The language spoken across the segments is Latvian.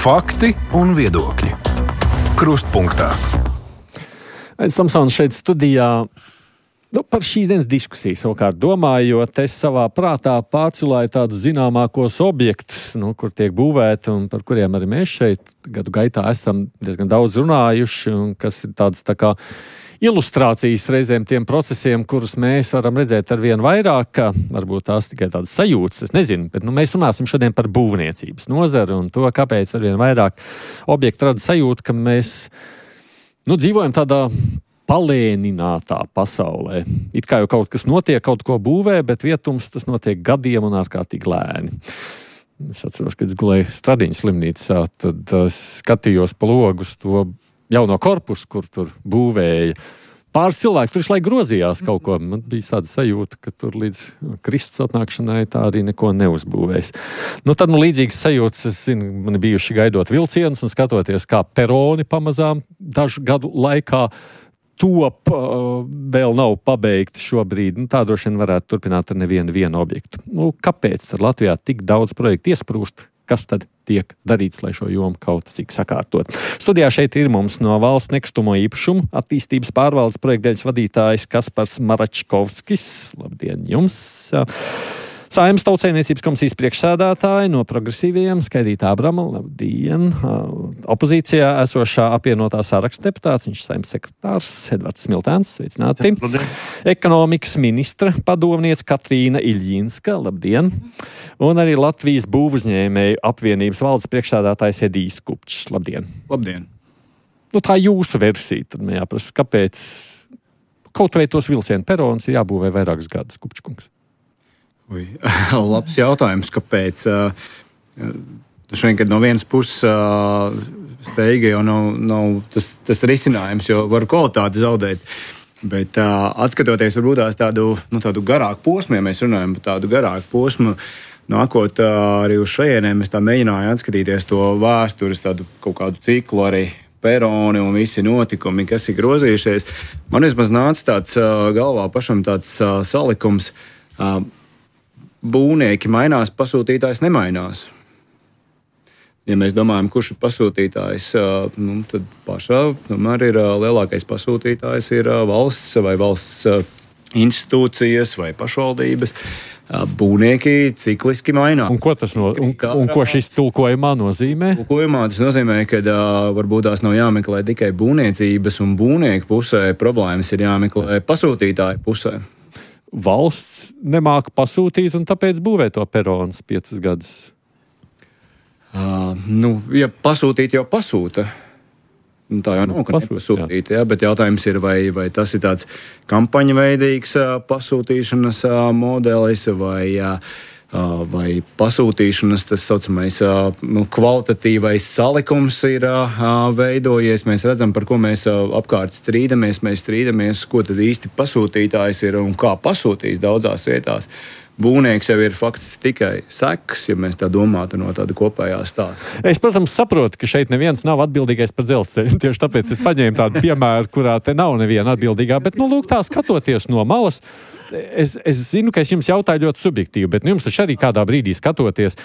Fakti un viedokļi. Krustpunktā. Ains Tomsons šeit studijā. Par šīs dienas diskusiju savukārt domājot, es savā prātā pārcilāju tādus zināmākos objektus, kur tiek būvēti un par kuriem arī mēs šeit gadu gaitā esam diezgan daudz runājuši, un kas ir tādas tā kā ilustrācijas reizēm tiem procesiem, kurus mēs varam redzēt ar vien vairāk, varbūt tās tikai tādas sajūtas, es nezinu, bet mēs runāsim šodien par būvniecības nozari un to, kāpēc ar vien vairāk objektu rada sajūta, ka mēs dzīvojam tādā palēninātā pasaulē. It kā jau kaut kas notiek, kaut ko būvē, bet vietums tas notiek gadiem un ārkārtīgi lēni. Es atceros, kad es gulēju Stradiņas slimnīcā, tad skatījos pa logu uz to jauno korpusu, kur tur būvēja. Pāris cilvēki tur visu laiku grozījās kaut ko. Man bija tāda sajūta, ka tur līdz Kristus atnākšanai tā arī neko neuzbūvēs. Tad līdzīgas sajūtas, es zinu, man bijuši gaidot vilcienus un skatoties, kā peroni pamazām dažu gadu laikā top, vēl nav pabeigti šobrīd. Tā droši vien varētu turpināt ar nevienu objektu. Kāpēc tad Latvijā tik daudz projektu iesprūst? Kas tad tiek darīts, lai šo jomu kaut cik sakārtot? Studijā šeit ir mums no Valsts nekustamo īpašumu attīstības pārvaldes projektdaļas vadītājs Kaspars Maračkovskis. Labdien jums! Saeimas Tautsaimniecības komisijas priekšsēdētāji no progresīvajiem Skaidrīta Abrama. Labdien! Opozīcijā esošā apvienotā saraksta deputāts, viņš Saeimas sekretārs Edvards Smiltēns. Sveicināti! Labdien! Ekonomikas ministra padomniece Katrīna Iļģinska. Labdien! Un arī Latvijas būvuzņēmēju apvienības valdes priekšsēdētājs Edijs Kupčs. Labdien! Labdien! Tā jūsu versija, tad man jāprasa, kāpēc kaut vai tos vilcienu peronus ir jābūvē vairākus gadus, Kupčkungs? Labs jautājums, kāpēc. Šodien, kad no vienas puses steiga jau nav tas risinājums, jo var kvalitāti zaudēt. Bet atskatoties varbūt tādu garāku posmu, ja mēs runājam par tādu garāku posmu, nākot arī uz šajienēm, mēs tā mēģinājām atskatīties to vēstures, tādu kaut kādu ciklu arī peroni un visi notikumi, kas ir grozījušies. Man vismaz nāca tāds galvā pašam tāds salikums. Būvnieki mainās, pasūtītājs nemainās. Ja mēs domājam, kurš ir pasūtītājs, tad pašā tomēr ir lielākais pasūtītājs ir valsts vai valsts institūcijas vai pašvaldības. Būvnieki cikliski mainās. Un ko ko šis tulkojumā nozīmē? Tulkojumā tas nozīmē, ka varbūt tās nav jāmeklē tikai būvniecības un būvnieku pusē, problēmas ir jāmeklē pasūtītāju pusē. Valsts nemāka pasūtīt un tāpēc būvē to perons 5 gadus? Ja pasūtīt jau pasūta. Tā jau nav, ka nepasūtīt, bet jautājums ir, vai tas ir tāds kampaņa veidīgs pasūtīšanas modelis vai pasūtīšanas tas saucamais kvalitatīvais salikums ir veidojies. Mēs redzam, par ko mēs apkārt strīdamies. Mēs strīdamies, ko tad īsti pasūtītājs ir un kā pasūtīs daudzās vietās. Būvnieks jau ir faktiski tikai sekas, ja mēs tā domātu no tāda kopējā stāsta. Es, protams, saprotu, ka šeit neviens nav atbildīgais par dzelzceļu. Tieši tāpēc es paņēmu tādu piemēru, kurā te nav neviena atbildīgā. Bet, tā skatoties no malas, es zinu, ka es jums jautāju ļoti subjektīvi, bet jums taču arī kādā brīdī skatoties,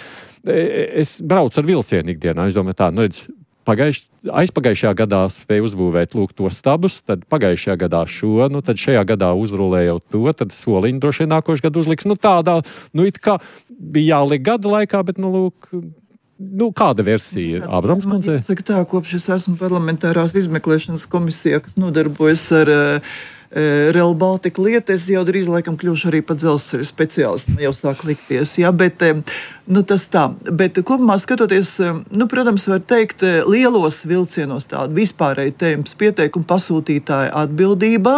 es braucu ar vilcienu ikdienā. Es domāju aizpagājušajā gadā spēju uzbūvēt tos stabus, tad pagājušajā gadā šo, tad šajā gadā uzrulēja jau to, tad soliņu droši vien nākošais gadu uzliks. It kā bija jāliek gada laikā, bet kāda versija? Ābrams kundze? Saka kopš es esmu parlamentārās izmeklēšanas komisijā, kas nodarbojas ar Rail Baltica lietu, es jau drīz laikam kļūšu arī par dzelzceļu speciālistu. Man jau sāk likties, bet tas tā. Bet kopumā skatoties, protams, var teikt, lielos vilcienos tādu vispārēju tēmas pieteikumu pasūtītāja atbildībā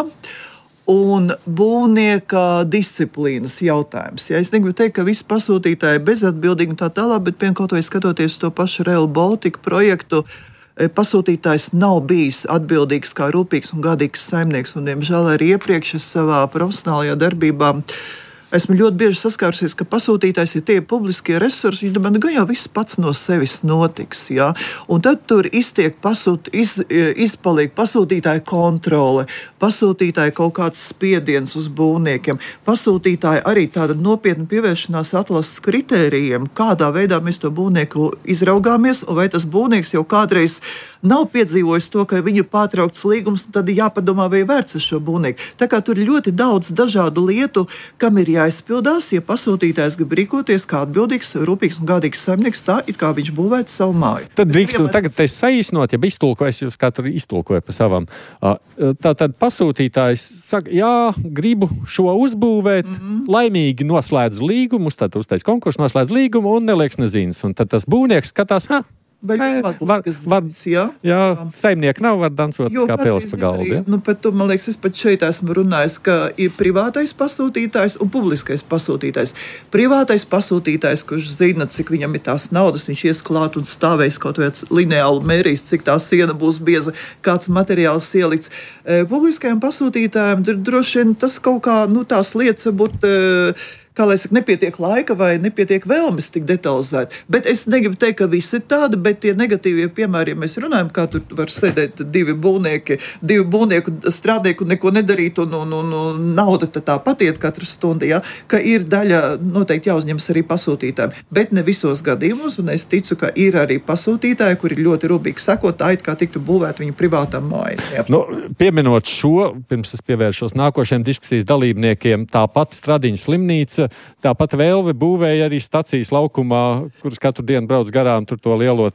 un būvnieka disciplīnas jautājums. Es negribu teikt, ka visi pasūtītāji bezatbildīgi un tā tālāk, bet kaut vai skatoties to pašu Rail Baltica projektu, pasūtītājs nav bijis atbildīgs kā rūpīgs un godīgs saimnieks, un, diemžēl, arī iepriekš es savā profesionālajā darbībā Esmu ļoti bieži saskārusies, ka pasūtītājs ir tie publiskie resursi, viņi domā, gan jau viss pats no sevis notiks. Ja? Un tad tur izpaliek pasūtītāja kontrole, pasūtītāja kaut kāds spiediens uz būvniekiem, pasūtītāja arī tāda nopietna pievēršanās atlases kritērijiem, kādā veidā mēs to būvnieku izraugāmies, un vai tas būvnieks jau kādreiz nav piedzīvojis to, ka viņu pārtraukts līgums, tad jāpadomā, vai vērts uz šo būvnieku. Tā kā tur ir ļoti daudz dažādu lietu, kam ir jāizpildās, ja pasūtītājs grib rīkoties kā atbildīgs, rūpīgs un gādīgs saimnieks, tā it kā viņš būvētu savu māju. Tad drīkst, tagad es saīsnot, ja iztulkoju, jūs katru iztulkoju pa savam. Tātad pasūtītājs saka, jā, gribu šo uzbūvēt, laimīgi noslēdz līgumu, tad uztais konkursu, noslēdz līgumu un nelieks nezinas. Un tad tas būvnieks skatās, saimnieki nav, var dansot kā pēles pa galdu. Ja? Man liekas, es pat šeit esmu runājis, ka ir privātais pasūtītājs un publiskais pasūtītājs. Privātais pasūtītājs, kurš zina, cik viņam ir tās naudas, viņš ies klāt un stāvēs kaut viens lineāli mērīs, cik tā siena būs bieza, kāds materiāls ielikts. Publiskajam pasūtītājam droši vien tas kaut kā, tās lietas varbūt kā lai saka, nepietiek laika vai nepietiek vēlmes tik detalizēt. Bet es negribu teikt, ka viss ir tāda, bet tie negatīvie piemēri, ja mēs runājam, kā tur var sēdēt divi būvnieku strādnieku un neko nedarīt, un nauda tā patiet katru stundu, ja, ka ir daļa noteikti jāuzņemas arī pasūtītājiem. Bet ne visos gadījumos, un es ticu, ka ir arī pasūtītāji, kuri ļoti rūpīgi sako, tā it kā tiktu būvēt viņu privātām mājām. Pieminot šo, pirms es pievēršos nākošajiem diskusijas dalībniekiem, tāpat Stradiņu slimnīca, tāpat Velve būvēja arī stacijas laukumā, kuras katru dienu brauc garām tur to lielo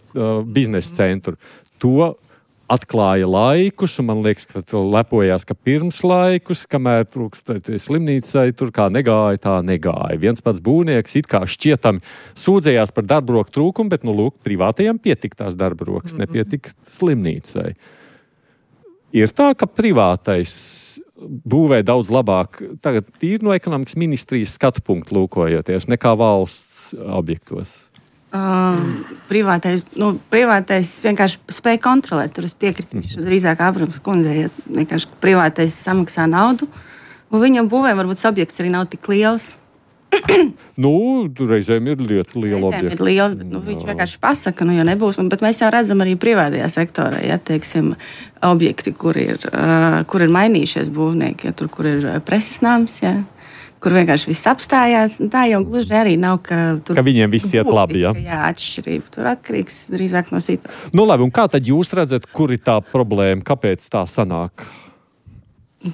biznesa centru. To atklāja laikus, un man liekas, ka lepojās, ka pirms laikus, kamēr slimnīcai tur kā negāja, tā negāja. Viens pats būvnieks it kā šķietami sūdzējās par darbaroku trūkumu, bet, privātajiem pietika tās darbarokas, nepietika slimnīcai. Ir tā, ka privātais būvē daudz labāk, tagad tīri no ekonomikas ministrijas skatu punktu lūkojoties, nekā valsts objektos? Privātais vienkārši spēja kontrolēt. Tur es piekritīšu drīzāk Abrams kundzei, ja vienkārši privātais samaksā naudu, un viņam būvē varbūt objekts arī nav tik liels. Reizēm ir liela objekta. Ir liels, bet viņš vienkārši pasaka, jo nebūs. Bet mēs jau redzam arī privātajā sektorā, ja teiksim, objekti, kur ir mainījušies būvnieki, ja, tur, kur ir preses nams, ja, kur vienkārši viss apstājās. Tā jau gluži arī nav, ka viņiem viss iet labi. Ja? Jā, atšķirība. Tur atkarīgs drīzāk no situācijas. Labi, un kā tad jūs redzat, kur ir tā problēma? Kāpēc tā sanāk?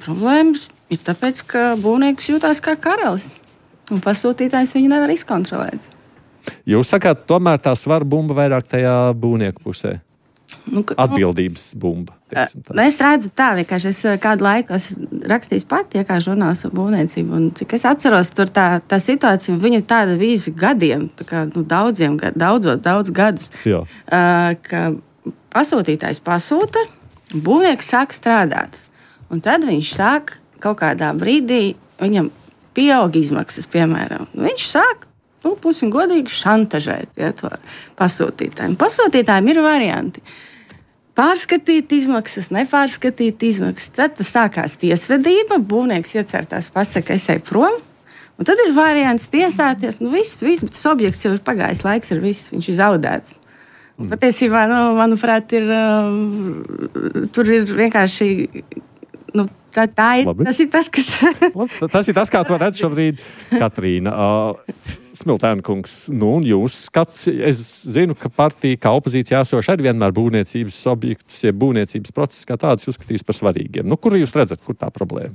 Problēmas ir tāpēc, ka būvnieks jūtās kā karalis. Un pasūtītājs viņu nevar izkontrolēt. Jūs sakāt, tomēr tā svara bumba vairāk tajā būvnieku pusē? Atbildības bumba. Es redzu tā, vienkārši es kādu laiku rakstīju pati, kā žurnāls par būvniecību. Un cik es atceros, tur tā situācija, viņa tāda vīzi gadiem, tā kā, daudz gadus, ka pasūtītājs pasūta, būvnieks sāk strādāt. Un tad viņš sāk kaut kādā brīdī, viņam pieaug izmaksas, piemēram. Viņš sāk, pusi godīgi šantažēt to pasūtītājiem. Pasūtītājiem ir varianti. Pārskatīt izmaksas, nepārskatīt izmaksas. Tad sākās tiesvedība, būvnieks iecertās, pasaka, es eju prom. Un tad ir variants tiesāties. Viss, bet tas objekts jau ir pagājis laiks ar visu, viņš ir zaudēts. Patiesībā, manuprāt, tur ir vienkārši... Tas ir tas, kas... Tas ir tas, kā to redz šobrīd Katrīna. Smiltēna kungs, un jūs skats, es zinu, ka partija, kā opozīcija esoša, arī vienmēr būvniecības objektus, ja būvniecības process kā tāds uzskatīs par svarīgiem. Kur jūs redzat, kur tā problēma?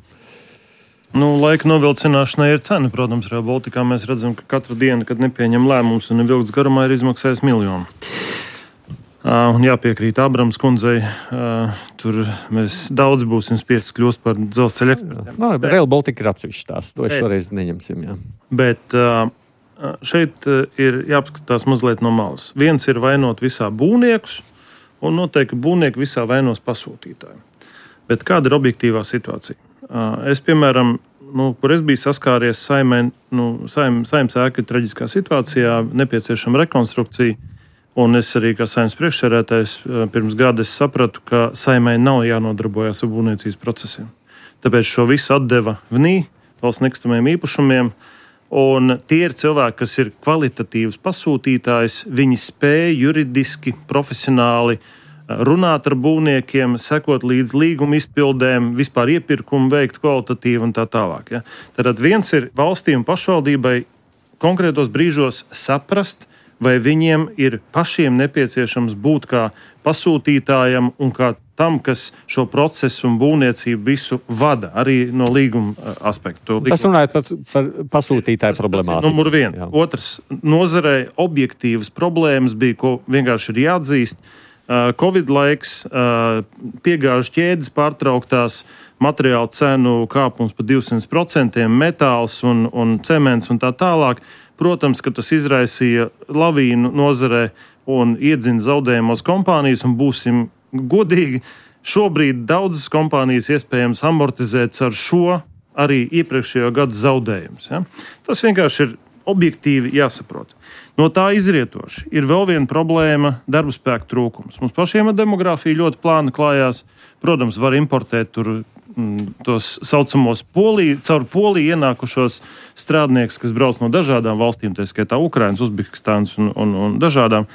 Laika novilcināšanai ir cena. Protams, Rail Balticā mēs redzam, ka katru dienu, kad nepieņem lēmums un vilks garumā, ir izmaksājis 1 miljonu. Un jāpiekrīt Abrams kundzei, tur mēs daudz būsim spiesti kļūst par dzelzceļa ekspertiem. Rail Baltica ir atsevišķi tās, to šoreiz neņemsim. Jā. Bet šeit ir jāpaskatās mazliet no malas. Viens ir vainot visā būvniekus, un noteikti būvnieki visā vainos pasūtītāju. Bet kāda ir objektīvā situācija? Es, piemēram, kur es biju saskāries Saeimas ēka traģiskā situācijā, nepieciešama rekonstrukcija. Un es arī kā Saeimas priekšsēdētājs pirms gada sapratu, ka Saeimai nav jānodarbojas ar būvniecības procesiem. Tāpēc šo visu atdeva VNI, valsts nekustamajiem īpašumiem, Un tie ir cilvēki, kas ir kvalitatīvs pasūtītājs, viņi spēj juridiski, profesionāli runāt ar būvniekiem, sekot līdz līguma izpildēm, vispār iepirkumu veikt kvalitatīvi un tā tālāk. Ja? Tad viens ir valstī un pašvaldībai konkrētos brīžos saprast, vai viņiem ir pašiem nepieciešams būt kā pasūtītājam un kā tam, kas šo procesu un būvniecību visu vada, arī no līguma aspektu. Tas runājot par pasūtītāju problemātiku. Numur 1. Jā. Otrs, nozarei objektīvas problēmas bija, ko vienkārši ir jāatzīst. Covid laiks, piegāžu ķēdes pārtrauktās, materiālu cenu kāpums pa 200%, metāls un cements un tā tālāk. Protams, ka tas izraisīja lavīnu nozarē un iedzina zaudējumos kompānijas, un būsim godīgi, šobrīd daudzas kompānijas iespējams amortizēts ar šo arī iepriekšējo gadu zaudējumus. Ja? Tas vienkārši ir objektīvi jāsaprot. No tā izrietoši ir vēl viena problēma - darba spēka trūkums. Mums pašiem ar demogrāfiju ļoti plāni klājās. Protams, var importēt tur tos saucamos caur Poliju ienākušos strādniekus, kas brauc no dažādām valstīm, tā skaitā Ukrainas, Uzbekistānas un dažādām.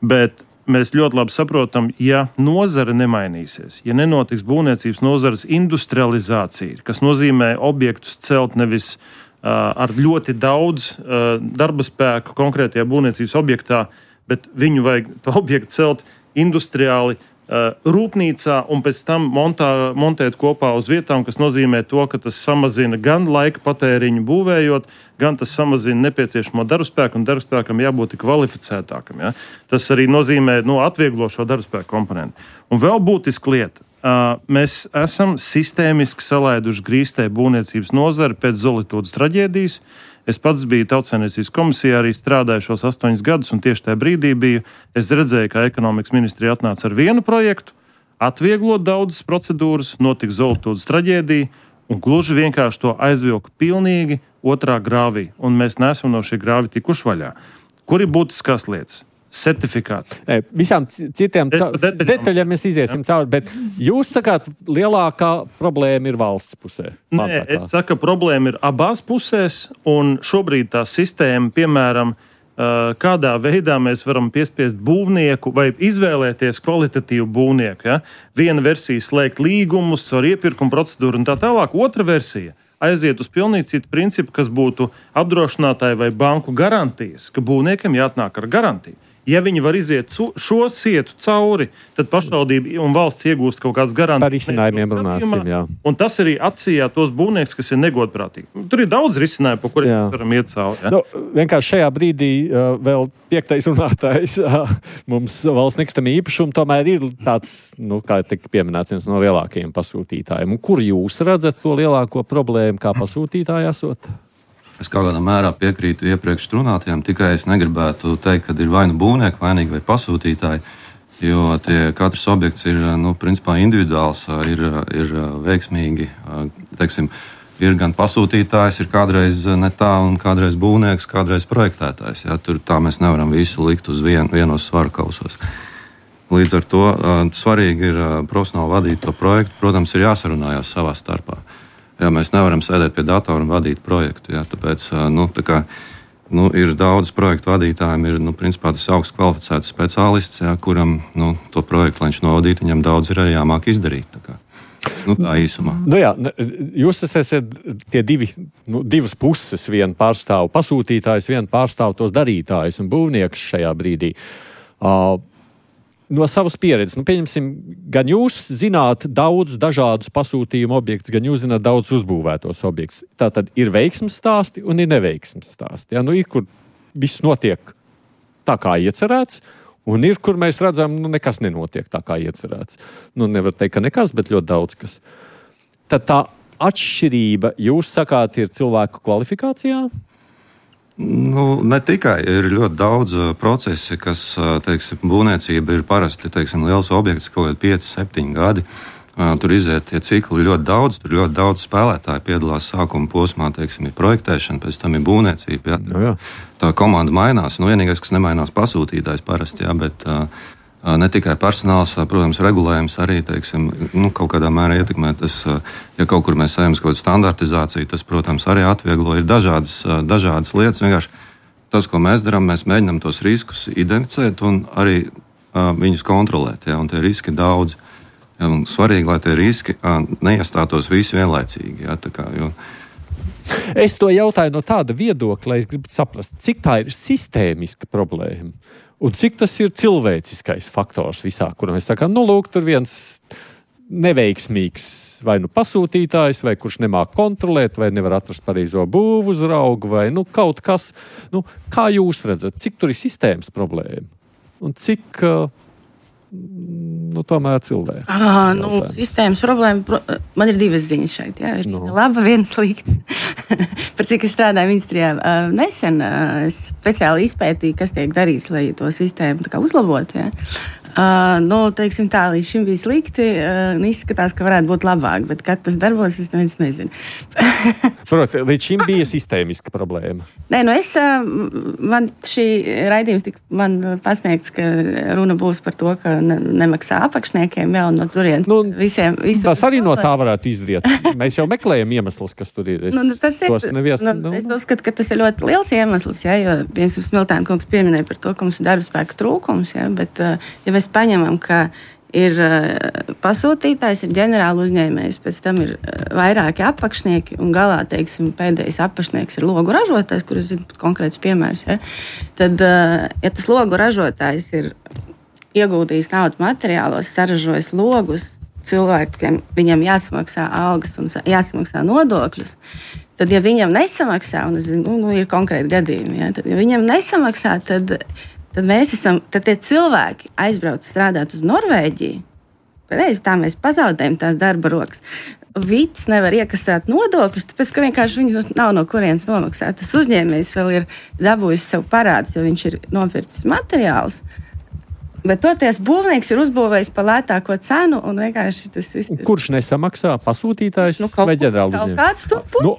Bet mēs ļoti labi saprotam, ja nozare nemainīsies, ja nenotiks būvniecības nozares industrializācija, kas nozīmē objektus celt nevis ar ļoti daudz darba spēku konkrētajā būvniecības objektā, bet viņu vajag to objektu celt industriāli rūpnīcā un pēc tam montēt kopā uz vietām, kas nozīmē to, ka tas samazina gan laika patēriņu būvējot, gan tas samazina nepieciešamo darbspēku, un darbspēkam jābūt kvalificētākam. Ja? Tas arī nozīmē atvieglo šo darbspēku komponentu. Un vēl būtiska lieta. Mēs esam sistēmiski salaiduši grīstē būvniecības nozari pēc Zolitūdas traģēdijas. Es pats biju Tautsaimniecības komisijā, arī strādāju šos 8 gadus, un tieši tajā brīdī es redzēju, ka ekonomikas ministrija atnāca ar vienu projektu, atvieglot daudzas procedūras, notika Zolitūdas traģēdija, un gluži vienkārši to aizvilka pilnīgi otrā grāvī, un mēs neesam no šī grāvi tikuši vaļā. Kur ir būtiskās lietas? Certifikāts. Visām citiem detaļām mēs iziesim cauri, bet jūs sakāt, lielākā problēma ir valsts pusē. Nē, es saku, problēma ir abās pusēs, un šobrīd tā sistēma, piemēram, kādā veidā mēs varam piespiest būvnieku vai izvēlēties kvalitatīvu būvnieku. Ja? Viena versija slēgt līgumus ar iepirkumu procedūru un tā tālāk, otra versija aiziet uz pilnīgi citu principu, kas būtu apdrošinātāji vai banku garantijas, ka būvniekiem jāatnāk ar garantiju. Ja viņi var iziet šo sietu cauri, tad pašvaldība un valsts iegūst kaut kādas garantijas. Par risinājumiem runāsim, jā. Un tas arī atsījā tos būvniekus, kas ir negodprātīgi. Tur ir daudz risinājumu, pa kuriem mēs varam iet cauri. Ja? Vienkārši šajā brīdī vēl 5. runātājs mums valsts nekustamie īpašumi tomēr ir tāds, kā tika pieminēts, viens no lielākajiem pasūtītājiem. Un kur jūs redzat to lielāko problēmu kā pasūtītāji esot? Es kaut kādā mērā piekrītu iepriekš runātajiem, tikai es negribētu teikt, ka ir vai nu būvnieki vainīgi vai pasūtītāji, jo katrs objekts ir principā individuāls, ir veiksmīgi. Teiksim, ir gan pasūtītājs, ir kādreiz ne tā, un kādreiz būvnieks, kādreiz projektētājs. Ja? Tur tā mēs nevaram visu likt uz vienos svaru kausos. Līdz ar to svarīgi ir profesionāli vadīt to projektu. Protams, ir jāsarunājās savā starpā. Jā, mēs nevaram sēdēt pie datora un vadīt projektu. Jā, tāpēc ir daudz projektu vadītājiem, ir principā tas augsts kvalificēts speciālists, jā, kuram to projektu, lai viņš novadītu, viņam daudz ir arī jāmāk izdarīt. Tā īsumā. Jūs esat tie divas puses, viena pārstāv pasūtītājs, viena pārstāv tos darītājus un būvniekus šajā brīdī. No savas pieredzes, pieņemsim, gan jūs zināt daudz dažādus pasūtījumu objektus, gan jūs zināt daudz uzbūvētos objektus. Tātad ir veiksmes stāsti un ir neveiksmes stāsti. Ja? Ir, kur viss notiek tā, kā iecerēts, un ir, kur mēs redzam, nekas nenotiek tā, kā iecerēts. Nevar teikt, ka nekas, bet ļoti daudz kas. Tad tā atšķirība, jūs sakāt, ir cilvēku kvalifikācijā? Ne tikai. Ir ļoti daudz procesi, kas, būvniecība ir parasti, liels objekts, kaut kādi 5-7 gadi. Tur iziet tie cikli ļoti daudz, tur ļoti daudz spēlētāji piedalās sākuma posmā, ir projektēšana, pēc tam ir būvniecība. Ja? Tā komanda mainās. Vienīgais, kas nemainās, pasūtītājs parasti, ja? Bet Ne tikai personāls, protams, regulējums arī, teiksim, kaut kādā mērā ietekmē tas, ja kaut kur mēs ejam uz kaut kādu standartizāciju, tas, protams, arī atvieglo. Ir dažādas lietas. Vienkārši tas, ko mēs darām, mēs mēģinām tos riskus identificēt un arī viņus kontrolēt. Ja, un tie riski ir daudz. Ja, un svarīgi, lai tie riski neiestātos visi vienlaicīgi. Ja, Es to jautāju no tāda viedokļa, lai es gribu saprast, cik tā ir sistēmiska problēma. Un cik tas ir cilvēciskais faktors visā, kuram mēs sakām, lūk, tur viens neveiksmīgs vai pasūtītājs, vai kurš nemāk kontrolēt, vai nevar atrast pareizo būvu uzraugu, vai kaut kas. Kā jūs redzat, cik tur ir sistēmas problēma? Un cik tomēr cilvēki? Sistēmas problēma, man ir divas ziņas šeit. Jā. Laba, viena slikta. Par cik es strādāju ministrijā nesen, es speciāli izpētīju, kas tiek darīts, lai to sistēmu uzlabotu. Teiksim tā, līdz šim bija slikti, izskatās, ka varētu būt labāk, bet kad tas darbos, es nezinu. Protams, līdz šim bija sistēmiska problēma. Nē, man šī raidījums tika pasniegts, ka runa būs par to, ka nemaksā apakšniekiem jau no turienes visiem. Tas arī no tā varētu izriet. Mēs jau meklējam iemeslus, kas tur ir. Es uzskatu, ka tas ir ļoti liels iemesls, jo, piemēram, Smiltēna kungs pieminēja par to, ka mums ir darba spēka trūkums, bet, ja mēs paņemam, ka ir pasūtītājs, ir ģenerāla uzņēmējs, pēc tam ir vairāki apakšnieki un galā, teiksim, pēdējais apakšnieks ir logu ražotājs, kur es zinu konkrēts piemērs, tad, ja tas logu ražotājs ir ieguldījis naudu materiālos, saražojis logus, cilvēkiem viņam jāsamaksā algas un jāsamaksā nodokļus, tad, ja viņam nesamaksā, un es zinu, ir konkrēti gadījumi, tad, ja viņam nesamaksā, tad tie cilvēki aizbrauc strādāt uz Norvēģiju. Pareizi, tā mēs pazaudējam tās darba rokas. Vits nevar iekasēt nodokļus, tāpēc, ka vienkārši viņus nav no kurienes nomaksāt. Tas uzņēmējs vēl ir dabūjis sev parādus, jo viņš ir nopircis materiālus. Bet toties būvnieks ir uzbūvējis par lētāko cenu un vienkārši tas ir. Kurš nesamaksā? Pasūtītājs vai ģenerāla uzņēmējs?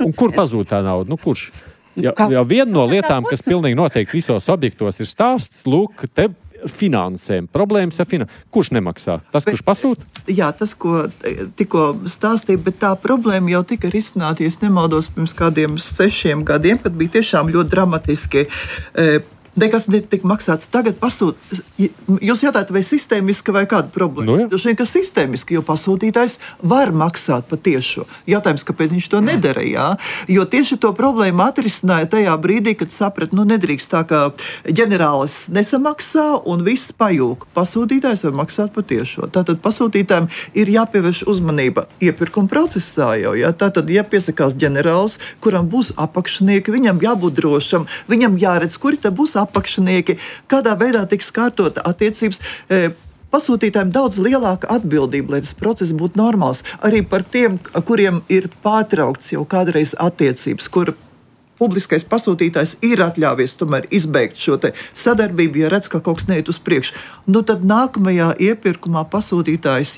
Un kur pazūd tā nauda? Kurš? Jau viena no lietām, kas pilnīgi noteikti visos objektos ir stāsts, lūk, te finansēm, problēmas ar finansēm. Kurš nemaksā? Tas, kurš pasūta? Jā, tas, ko tikko stāstīja, bet tā problēma jau tika risināta, ja es nemaldos, pirms kādiem 6 gadiem, kad bija tiešām ļoti dramatiski. Nekas netika maksāts. Tagad jūs jautājat, vai sistēmiski vai kāda problēma? Tas vien, ka sistēmiski, jo pasūtītājs var maksāt patiešo. Jautājums, kāpēc viņš to nedara, jā? Jo tieši to problēmu atrisināja tajā brīdī, kad saprat, nedrīkst tā, ka ģenerālis nesamaksā un viss pajūk. Pasūtītājs var maksāt patiešo. Tātad pasūtītājiem ir jāpievērš uzmanība iepirkuma procesā jau, jā? Tātad, ja piesakās ģenerālis, kuram būs apakšnieki, viņam jābūt drošam, viņam jāredz, kuri te būs apakšnieki, kādā veidā tiks kārtota attiecības. Pasūtītājiem daudz lielāka atbildība, lai tas process būtu normāls. Arī par tiem, kuriem ir pārtraukts jau kādreiz attiecības, kur publiskais pasūtītājs ir atļāvies tomēr izbeigt šo te sadarbību, ja redz, ka kaut kas neiet uz priekšu. Tad nākamajā iepirkumā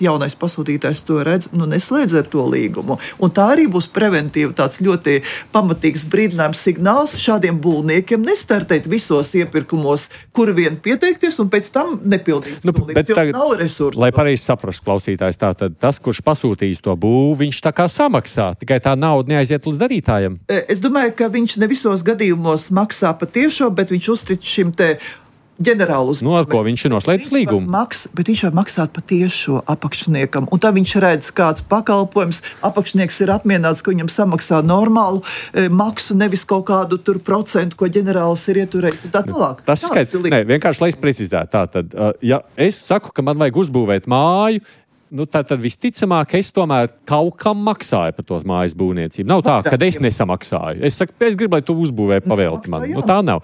jaunais pasūtītājs to redz, neslēdz ar to līgumu. Un tā arī būs preventīva tāds ļoti pamatīgs brīdinājums signāls šādiem būvniekiem nestartēt visos iepirkumos, kur vien pieteikties un pēc tam nepildīt. Bet tagad, nav resursu. Lai pareizi saprastu klausītājs, tātad tas, kurš pasūtījis to būvu, viņš tā kā samaksā, tikai tā nauda neaiziet līdz darītājiem. Es domāju, ka viņš ne visos gadījumos maksā patiešo, bet viņš uztic šim te ģenerālu uzņēmumu. Ar ko viņš ir noslēdzis līgumu? Bet viņš var maksāt patiešo apakšniekam. Un tā viņš redz, kāds pakalpojums. Apakšnieks ir apmierināts, ka viņam samaksā normālu maksu, nevis kaut kādu tur procentu, ko ģenerālis ir ieturējis. Tā tālāk. Tas ir skaidrs. Nē, vienkārši, lai es precizētu. Tātad, ja es saku, ka man vajag uzbūvēt māju, tad visticamāk, es tomēr kaut kam maksāju par to mājas būvniecību. Nav tā, ka es nesamaksāju. Es saku, es gribu, lai tu uzbūvē pavēlti man. Tā nav.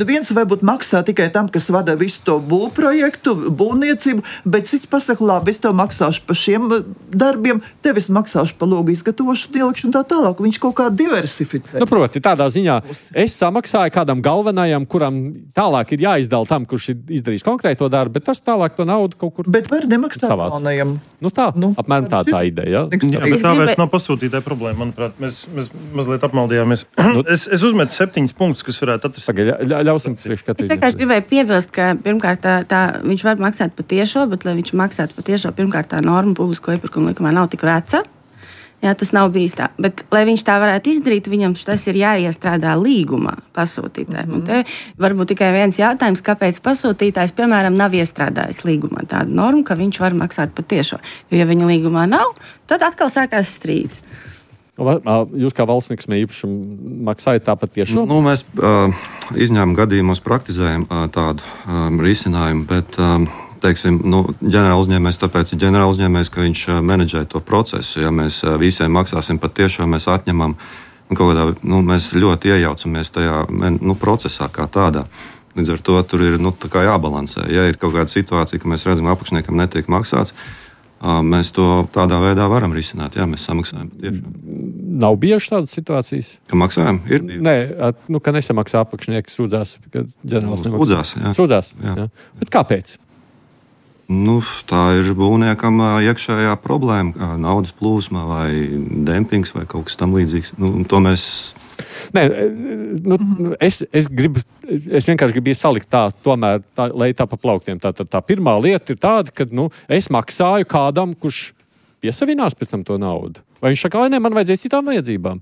Viens varbūt maksā tikai tam, kas vada visu to būvprojektu, būvniecību, bet cits pasaka, labi, es tev maksāšu par šiem darbiem, tev es maksāšu par logu izgatavošanu, ielikšanu tā tālāk. Viņš kaut kā diversificē. Proti, tādā ziņā es samaksāju kādam galvenajam, kuram tālāk ir jāizdala tam, kurš ir izdarījis konkrēto darbu, bet tas tālāk to naudu kaut kur bet var nemaksāt jaunajam. Nu tā, apmēram tā ideja. Jā, bet tā vairs nav pasūtītāja problēma, manuprāt. Mēs mazliet apmaldījāmies. Es uzmetu 7 punktus, kas varētu atrast. Ļausim priekšskatīt. Es vienkārši gribēju piebilst, ka pirmkārt viņš var maksāt pa tiešo, bet, lai viņš maksātu pa tiešo, pirmkārt tā norma publisko iepirkumu likumā nav tik veca. Jā, tas nav bijis tā. Bet, lai viņš tā varētu izdarīt, viņam tas ir jāiestrādā līgumā pasūtītājiem. Un te varbūt tikai viens jautājums, kāpēc pasūtītājs, piemēram, nav iestrādājis līgumā tādu normu, ka viņš var maksāt pa tiešo. Jo, ja viņa līgumā nav, tad atkal sākās strīds. Jūs kā valsts nekustamā īpašuma maksājat tāpat tiešo? Mēs izņēmuma gadījumos praktizējam tādu risinājumu, bet teiksim, ģenerāla uzņēmējs, tāpēc ir ģenerāla uzņēmējs, ka viņš menedžē to procesu. Ja mēs visiem maksāsim pat tiešām, mēs atņemam kaut kādā, mēs ļoti iejaucamies tajā procesā kā tādā. Līdz ar to tur ir tā kā jābalansē. Ja ir kaut kāda situācija, ka mēs redzam, apakšniekam netiek maksāts, mēs to tādā veidā varam risināt. Jā, mēs samaksājam pat tiešām. Nav bijušas tādas situācijas? Ka maksājam? Ir bijuši. Nē, ka nesamaksā apakšnieks, sūdzās, ka ģenerāls nemaksā. Sūdzās, jā. Bet kāpēc? Tā ir būvniekam iekšējā problēma, naudas plūsma vai dempings vai kaut kas tam līdzīgs. To mēs... Nē, es vienkārši gribu salikt tomēr, lai tā pa plauktiem. Tā pirmā lieta ir tāda, ka es maksāju kādam, kurš piesavinās pēc tam to naudu. Vai viņš saka, man vajadzēs citām vajadzībām?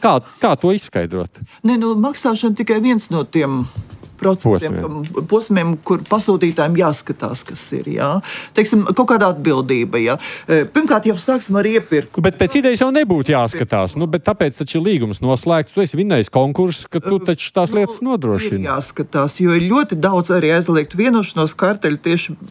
Kā to izskaidrot? Maksāšana tikai viens no tiem posmiem, kur pasūtītājiem jāskatās, kas ir. Jā. Teiksim, kaut kāda atbildība. Jā. Pirmkārt, jau sāksim ar iepirkumu. Bet pēc idejas jau nebūtu jāskatās. Bet tāpēc taču ir līgums noslēgts. Tu esi vinnējis konkursus, ka tu taču tās lietas nodrošini. Ir jāskatās, jo ir ļoti daudz arī aizliegtu vienošanos karteļu tieši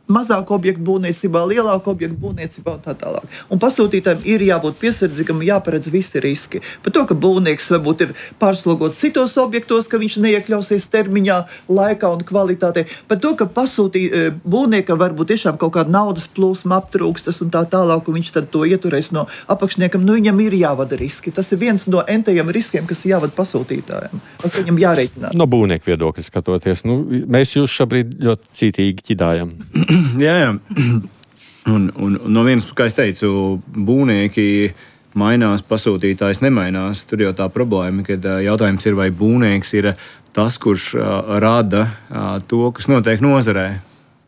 mazāku objektu būvniecībā, lielāku objektu būvniecībā un tā tālāk. Un pasūtītājiem ir jābūt piesardzīgam, jāparedz visi riski. Par to, ka būvnieks varbūt ir pārslogots citos objektos, ka viņš neiekļausies termiņā, laikā un kvalitātē. Par to, ka būvniekam varbūt tiešām kaut kāda naudas plūsma aptrūkstas un tā tālāk, un viņš tad to ieturēs no apakšniekam, viņam ir jāvada riski. Tas ir viens no entajiem riskiem, kas ir jāvada pasūtītājiem. Un viņam jārēķinās. No būvnieku viedokļa skatoties, mēs jūs šobrīd ļoti cītīgi ķidājam. Jā. Un no vienas, kā es teicu, būvnieki mainās, pasūtītājs nemainās. Tur jau tā problēma, kad jautājums ir, vai būvnieks ir tas, kurš rada to, kas notiek nozarē,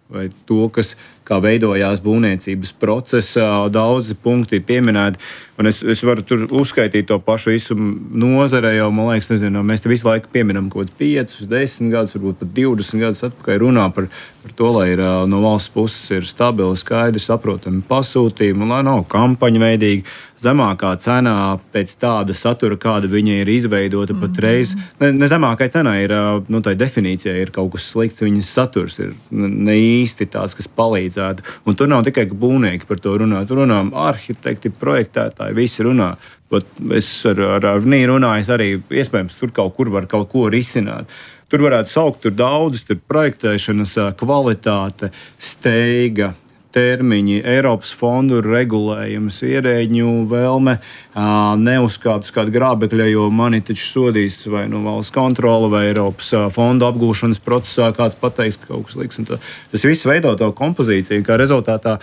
vai to, kas kā veidojās būvniecības procesā. Daudzi punkti ir pieminēti. Un es varu tur uzskaitīt to pašu visu nozarē, jo, man liekas, mēs te visu laiku pieminam kaut kādus 5, 10 gadus, varbūt pat 20 gadus atpakaļ runā par to, lai ir no valsts puses ir stabili, skaidri, saprotami pasūtījumi, un lai nav kampaņa veidīgi, zemākā cenā pēc tāda satura, kāda viņa ir izveidota patreiz. Ne zemākai cenai ir, tā definīcija ir kaut kas slikts, viņas saturs ir ne īsti tāds, kas palīdzētu. Un tur nav tikai būvnieki par to runā, tur runā arhitekti, projektētāji, visi runā. Bet es ar Nīru runāju arī, iespējams, tur kaut kur var kaut ko risināt. Tur varētu saukt tur daudzas, tur projektēšanas kvalitāte, steiga, termiņi, Eiropas fondu regulējums, ierēģņu vēlme neuzkāpt uz kādu grābekļa, jo mani taču sodīs vai valsts kontrole vai Eiropas fondu apgūšanas procesā kāds pateiks, ka kaut kas liks. Tas viss veido to kompozīciju, kā rezultātā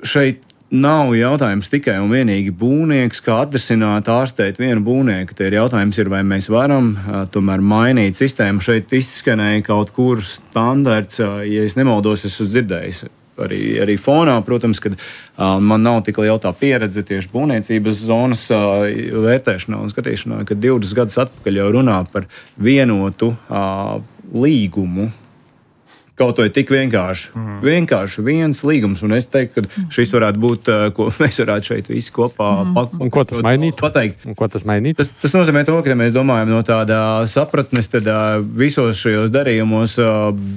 šeit nav jautājums tikai un vienīgi būvnieks, kā atrisināt, ārstēt vienu būvnieku. Tie ir jautājums, vai mēs varam tomēr mainīt sistēmu. Šeit izskanēja kaut kur standarts, ja es nemaldos, esmu dzirdējis. Arī fonā, protams, kad man nav tik liela tā pieredze tieši būvniecības zonas vērtēšanā un skatīšanā, kad 20 gadus atpakaļ jau runā par vienotu līgumu. Kaut vai tik vienkārši. Vienkārši viens līgums, un es teiktu, ka šis varētu būt, ko mēs varētu šeit visi kopā Un ko tas mainītu? Pateikt. Un ko tas mainītu? Tas nozīmē to, ka ja mēs domājam no tāda sapratnes, tad visos šajos darījumos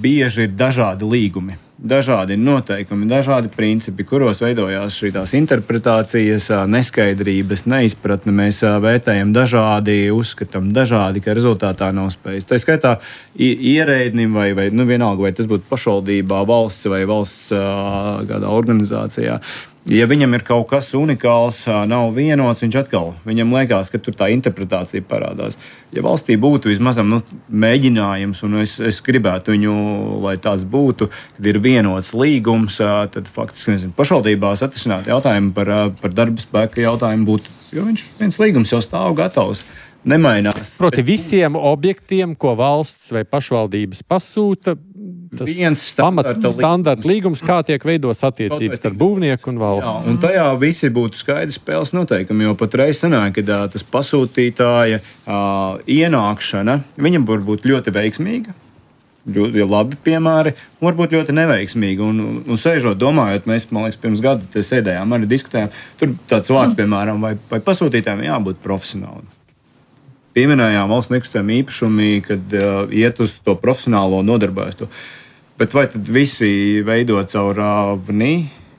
bieži ir dažādi līgumi. Dažādi noteikumi, dažādi principi, kuros veidojās šīs interpretācijas, neskaidrības, neizpratne. Mēs vērtējam dažādi, uzskatām dažādi, ka rezultātā nav spējas. Tā skaitā ierēdnim vai vienalga, vai tas būtu pašvaldībā, valsts vai valsts kādā organizācijā. Ja viņam ir kaut kas unikāls, nav vienots, viņam liekas, ka tur tā interpretācija parādās. Ja valstī būtu vismaz mēģinājums, un es gribētu viņu, lai tāds būtu, kad ir vienots līgums, tad faktiski pašvaldībās atrisināt jautājumu par darba spēka jautājumu būtu, jo viens līgums jau stāv gatavs. Nemainās. Proti visiem objektiem, ko valsts vai pašvaldības pasūta, tas standarta līgums, kā tiek veidots attiecības starp būvnieku un valsts. Jā, un tajā visi būtu skaidrs spēles noteikumi, jo patreiz sanāk, ka tas pasūtītāja ienākšana, viņam var būt ļoti veiksmīga, ļoti labi piemēri, un varbūt ļoti neveiksmīgi. Un sēžot, domājot, mēs, man liekas, pirms gada te sēdējām, arī diskutējām, tur tāds vārds, piemēram, vai pasūtītājiem jābūt profesionāli. Pieminējām valsts nekustamie īpašumi, kad iet uz to profesionālo nodarbojas to. Bet vai tad visi veido caur VNI,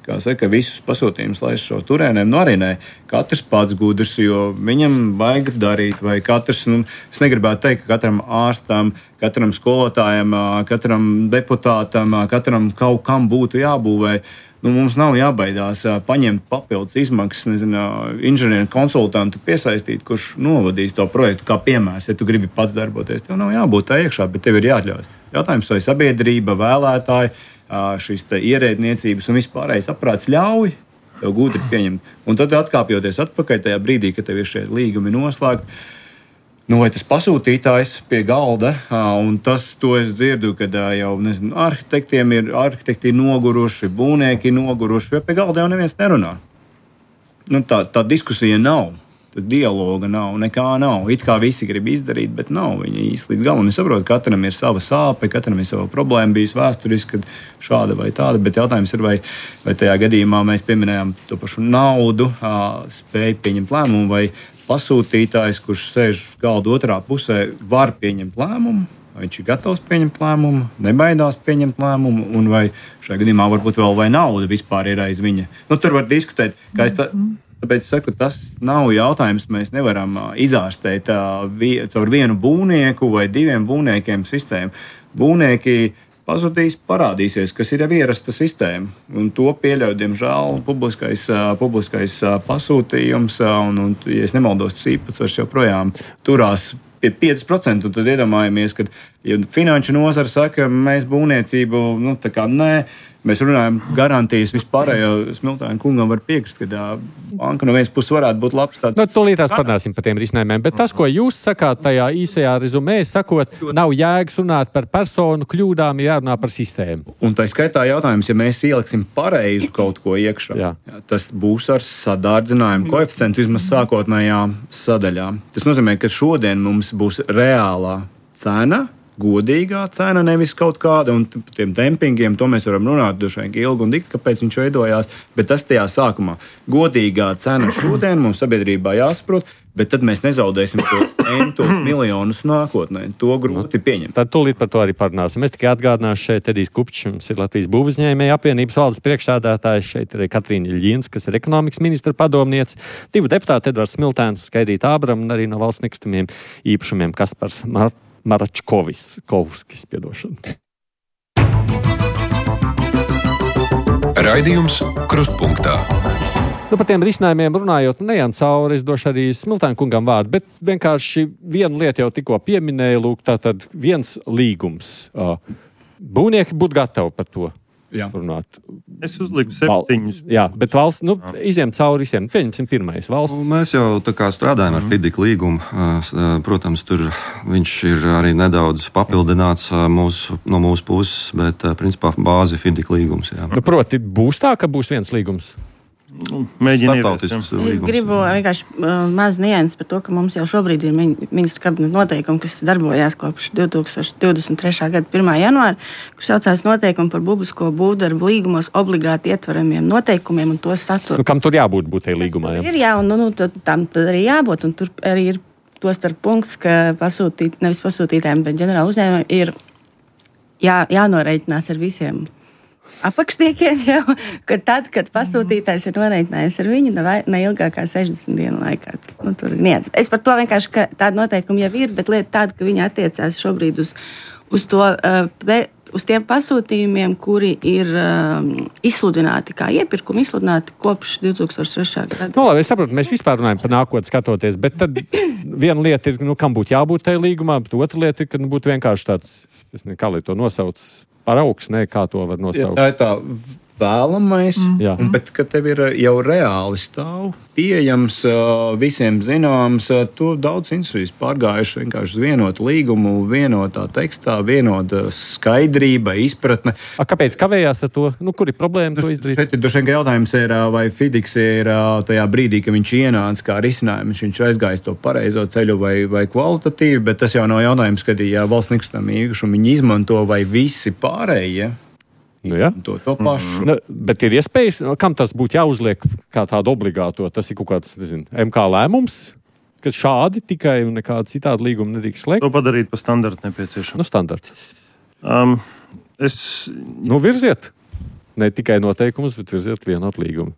kā saka, visus pasūtījumus laiž šo turēniem? Arī nē. Katrs pats gudrs, jo viņam vajag darīt, vai katrs, es negribētu teikt, ka katram ārstam, katram skolotājam, katram deputātam, katram kaut kam būtu jābūvē. Mums nav jābaidās paņemt papildus izmaksas, inženieru konsultantu piesaistīt, kurš novadīs to projektu kā piemērs. Ja tu gribi pats darboties, tev nav jābūt tā iekšā, bet tev ir jāatļaujas. Jautājums, vai sabiedrība, vēlētāji, šīs ierēdniecības un vispārējais aprāts ļauj tev gudri pieņemt. Un tad atkāpjoties atpakaļ tajā brīdī, kad tev ir šie līgumi noslēgti, vai tas pasūtītājs pie galda, un to es dzirdu, kad jau arhitekti ir noguruši, būvnieki ir noguruši, jo pie galda jau neviens nerunā. Tā diskusija nav, tā dialoga nav, nekā nav. It kā visi grib izdarīt, bet nav viņi īsti līdz galam. Es saprotu, ka katram ir sava sāpe, katram ir sava problēma bijis vēsturiski, kad šāda vai tāda, bet jautājums ir, vai tajā gadījumā mēs pieminējām to pašu naudu, spēju pieņemt lēmumu, vai pasūtītājs, kurš sēž galda otrā pusē, var pieņemt lēmumu, vai viņš ir gatavs pieņemt lēmumu, nebaidās pieņemt lēmumu, un vai šajā gadījumā varbūt vēl vai nauda vispār ir aiz viņa. Tur var diskutēt, tāpēc es saku, tas nav jautājums, mēs nevaram izārstēt caur vienu būvnieku vai diviem būvniekiem sistēmu. Būvnieki pazudīs, parādīsies, kas ir jau ierasta sistēma. Un to pieļauj, diemžēl, publiskais pasūtījums, un ja es nemaldos, tas īpatsvars joprojām turās pie 5%, un tad iedomājamies, ka ja finanšu nozara saka, mēs būvniecību, tā kā nē, mēs runājam garantijas vispārējo. Smiltāna kungam var piekrist, ka banka no vienas puses varētu būt labs tāds. Tūlītās parunāsim par tiem risinājumiem, bet tas, ko jūs sakāt tajā īsajā rezumē, sakot, nav jēgas runāt par personu kļūdām, jārunā par sistēmu. Un tā skaitā jautājums, ja mēs ieliksim pareizu kaut ko iekšā, tas būs ar sadārdzinājumu koeficientu vismaz sākotnējā sadaļā. Tas nozīmē, ka šodien mums būs reālā cena, godīgā cena, nevis kaut kāda, un tiem dempingiem, to mēs varam runāt droši vien ilgi un dikti, kāpēc viņš veidojās, bet tas tajā sākumā. Godīgā cena šodien mums sabiedrībā jāsaprot, bet tad mēs nezaudēsim tos miljonus nākotnē. To grūti pieņemt. Tad tūlīt par to arī parunāsim. Es tikai atgādināšu, šeit Edijs Kupčs, mums ir Latvijas būvuzņēmēju apvienības valdes priekšsēdētājs, šeit ir Katrīna Ļins, kas ir ekonomikas ministra padomniece, 2 deputāti, Edvards Smiltēns, Skaidrīta Ābram un arī no valsts nekustamiem īpašumiem Kaspars Maračkovskis, piedošana. Raidījums Krustpunktā. Par tiem risinājumiem runājot, neejam cauri, es došu arī Smiltāna kungam vārdu, bet vienkārši vienu lietu jau tikko pieminēju, lūk, tātad viens līgums. Būvnieki būtu gatavi par to runāt. Es uzliku 7. Jā, bet valsts, iziem cauri visiem. Pieņemsim pirmais valsts. Mēs jau tā kā strādājam ar FIDIK līgumu. Protams, tur viņš ir arī nedaudz papildināts no mūsu puses, bet principā bāzi FIDIK līgums. Proti, būs tā, ka būs viens līgums? Mēģiniet. Es gribu vienkārši mazu nianses par to, ka mums jau šobrīd ir ministra kabineta noteikumi, kas darbojās kopš 2023. gada 1. janvāra, kurš saucās noteikumi par publisko būvdarbu līgumos obligāti ietveramiem noteikumiem un to saturu. Kam tur jābūt būtēji līgumā? Tam arī jābūt, un tur arī ir to starp punkts, ka nevis pasūtītājiem, bet ģenerāla uzņēmumiem ir jānoreikinās ar visiem apakšniekiem jau, ka tad, kad pasūtītājs ir noreikinājis ar viņu, ne ilgākā 60 dienu laikā. Tur ir niec. Es par to vienkārši, ka tāda noteikuma jau ir, bet lieta tāda, ka viņi attiecās šobrīd uz to uz tiem pasūtījumiem, kuri ir izsludināti kā iepirkumi, izsludināti kopš 2003. gada. Nu, labi, es saprotu, mēs vispār runājam par nākotni skatoties, bet tad viena lieta ir, kam būtu jābūt tajā līgumā, bet otra lieta ir, ka būtu vienkārši tāds, es nezinu, kā lai to nosauc, paraugs, kā to var nosaukt. Tā ir tā vēlamais, bet kad tev ir jau reāli stāv, pieejams, visiem zināms, to daudz institūcijas pārgājuši vienkārši uz vienotu līgumu, vienotā tekstā, vienota skaidrība, izpratne. Kāpēc kavējās ar to? Kur ir problēma to izdarīt? Šeit ir jautājums, vai FIDIX ir tajā brīdī, kad viņš ienāca kā risinājums, viņš aizgājis to pareizo ceļu vai kvalitatīvi, bet tas jau nav jautājums, kad valsts nekustamā īpašuma viņi izmanto vai visi pārējie. To pašu. Bet ir iespējas, kam tas būtu jāuzliek kā tādu obligāto? Tas ir kaut kāds, MK lēmums, ka šādi tikai un nekāda citāda līguma nedrīkst slēgt. To padarīt par standartu nepieciešamu. Standartu. Virziet. Ne tikai noteikumus, bet virziet vienotu līgumu.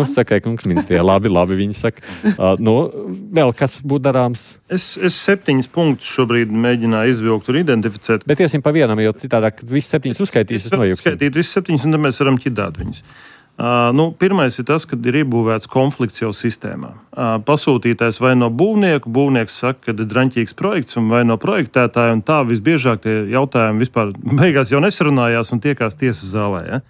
Saka, kungs ministrijā, labi, viņi saka. Vēl kas būtu darāms? Es 7 punktus šobrīd mēģināju izvilkt un identificēt. Bet iesim pa vienam, jo citādāk visus 7 uzskaitīs, es nojuksim. Uzskaitīt visus 7, un tad mēs varam ķidāt viņus. Pirmais ir tas, ka ir iebūvēts konflikts jau sistēmā. Pasūtītājs vai no būvnieku, būvnieks saka, ka ir draņķīgs projekts, vai no projektētāja, un tā visbiežāk tie jautājumi vispār beigās jau nesarunājās un tiekās tiesas zālē. Ja?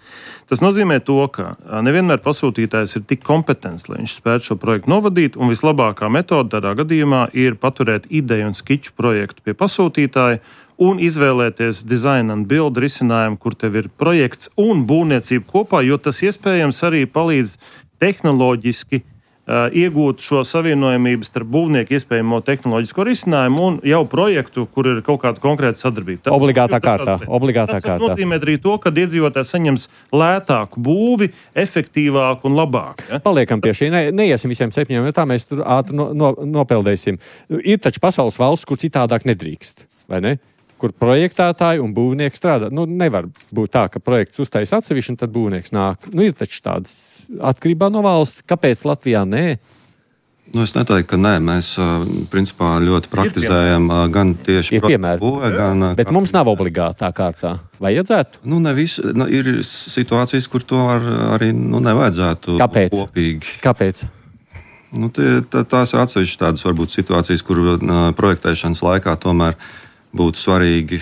Tas nozīmē to, ka nevienmēr pasūtītājs ir tik kompetents, lai viņš spētu šo projektu novadīt, un vislabākā metode tādā gadījumā ir paturēt ideju un skiču projektu pie pasūtītāja un izvēlēties design and build risinājumu, kur tev ir projekts un būvniecība kopā, jo tas iespējams arī palīdz tehnoloģiski iegūt šo savienojamību starp būvnieku iespējamo tehnoloģisko risinājumu un jau projektu, kur ir kaut kāda konkrēta sadarbība. Obligātā kārtā. Tas nozīmē arī to, ka iedzīvotājs saņems lētāku būvi, efektīvāku un labāku. Ja? Paliekam pie šī. Neiesim visiem 7, jo tā mēs tur ātri nopeldēsim. Ir taču pasaules valsts, kur citādāk nedrīkst, vai ne? Kur projektētāji un būvnieki strādā. Nevar būt tā, ka projekts uztais atsevišķi un tad būvnieks nāk. Ir taču tādas atkarībā no valsts. Kāpēc Latvijā nē? Es neteiktu, ka nē. Mēs principā ļoti praktizējam gan tieši būvē, gan... Bet mums nav obligātā kārtā. Vajadzētu? Ne visi. Ir situācijas, kur to arī nevajadzētu kopīgi. Kāpēc? Tās ir atsevišķas tādas varbūt situācijas, kur projektēšanas laikā tomēr būtu svarīgi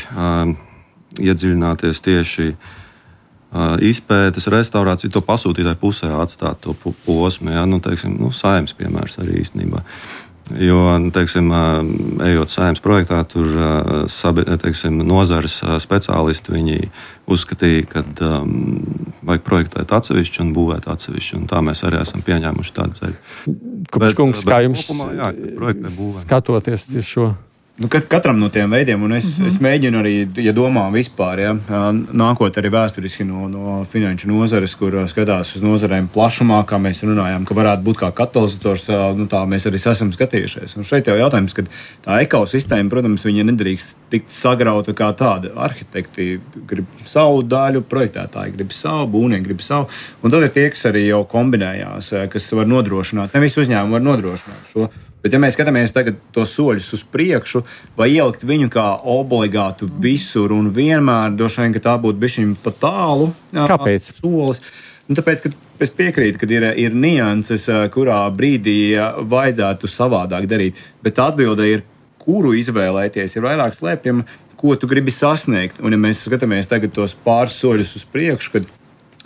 iedziļināties tieši izpētes, restaurāciju, to pasūtītāju pusē atstāt to posmu. Ja? Saeimas piemērs arī īstenībā. Jo, ejot saeimas projektā, tur nozares speciālisti viņi uzskatīja, ka vajag projektēt atsevišķi un būvēt atsevišķi. Un tā mēs arī esam pieņēmuši tādu ceļu. Kungs, kā jums skatoties šo? Katram no tiem veidiem, un es mēģinu arī, ja domā vispār, nākot arī vēsturiski no finanšu nozares, kur skatās uz nozarēm plašumā, kā mēs runājām, ka varētu būt kā katalizators, tā mēs arī esam skatījušies. Un šeit jau jautājums, ka tā ekosistēma, protams, viņa nedrīkst tikt sagrauta kā tāda. Arhitekti grib savu daļu, projektētāji grib savu, būvnieki grib savu, un tad ir tie, kas arī jau kombinējās, kas var nodrošināt, ne visi uzņēmumi var nodrošināt šo. Bet, ja mēs skatāmies tagad tos soļus uz priekšu, vai ielikt viņu kā obligātu visur un vienmēr, droši vien, ka tā būtu bišķiņ pa tālu. Kāpēc? Solis. Tāpēc, ka es piekrītu, ka ir nianses, kurā brīdī vajadzētu savādāk darīt. Bet atbilde ir, kuru izvēlēties, ir vairāk slēpjama, ko tu gribi sasniegt. Un, ja mēs skatāmies tagad tos pāris soļus uz priekšu, kad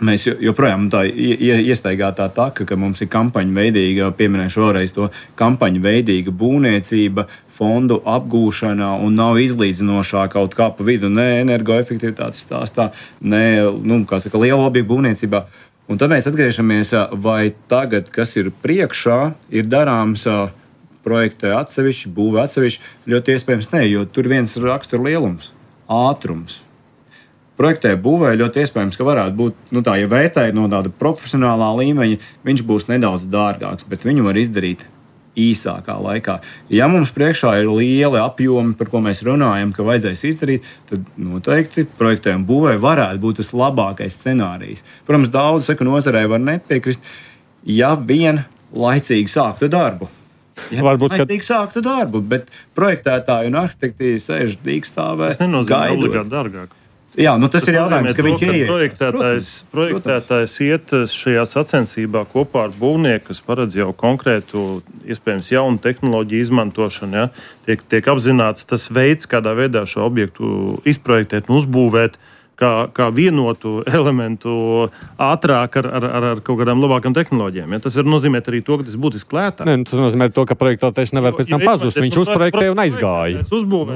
mēs joprojām tā iestaigātā taka, ka mums ir kampaņa veidīga, pieminēšu vēlreiz to kampaņa veidīga būvniecība, fondu apgūšana un nav izlīdzinošā kaut kā pa vidu, ne energoefektivitātes stāstā, ne, liela objektu būvniecībā. Un tad mēs atgriežamies, vai tagad, kas ir priekšā, ir darāms projektē atsevišķi, būvē atsevišķi, ļoti iespējams ne, jo tur viens rakstura lielums, ātrums. Projektē būvē ļoti iespējams, ka varētu būt, ja vērtēji no tāda profesionālā līmeņa, viņš būs nedaudz dārgāks, bet viņu var izdarīt īsākā laikā. Ja mums priekšā ir lieli apjomi, par ko mēs runājam, ka vajadzēs izdarīt, tad noteikti projektē un būvē varētu būt tas labākais scenārijs. Protams, daudz nozarē var nepiekrist, ja vien laicīgi sāktu darbu. Laicīgi sāktu darbu, bet projektētāji un arhitekti sēž dīkstāvē. Tas nenozīmē obligāti dārgāk. Jā, tas ir jautājums, ka viņš ieiet. Projektētājs iet šajā sacensībā kopā ar būvnieku, kas paredz jau konkrētu, iespējams, jaunu tehnoloģiju izmantošanu. Ja? Tiek apzināts tas veids, kādā veidā šo objektu izprojektēt un uzbūvēt, kā vienotu elementu ātrāk ar kaut kādām labākām tehnoloģijām. Ja? Tas var nozīmēt arī to, ka tas būtiski lētāk. Tas nozīmē to, ka projektētājs nevar pēc tam pazust. Viņš uzprojektēja un aizgāja.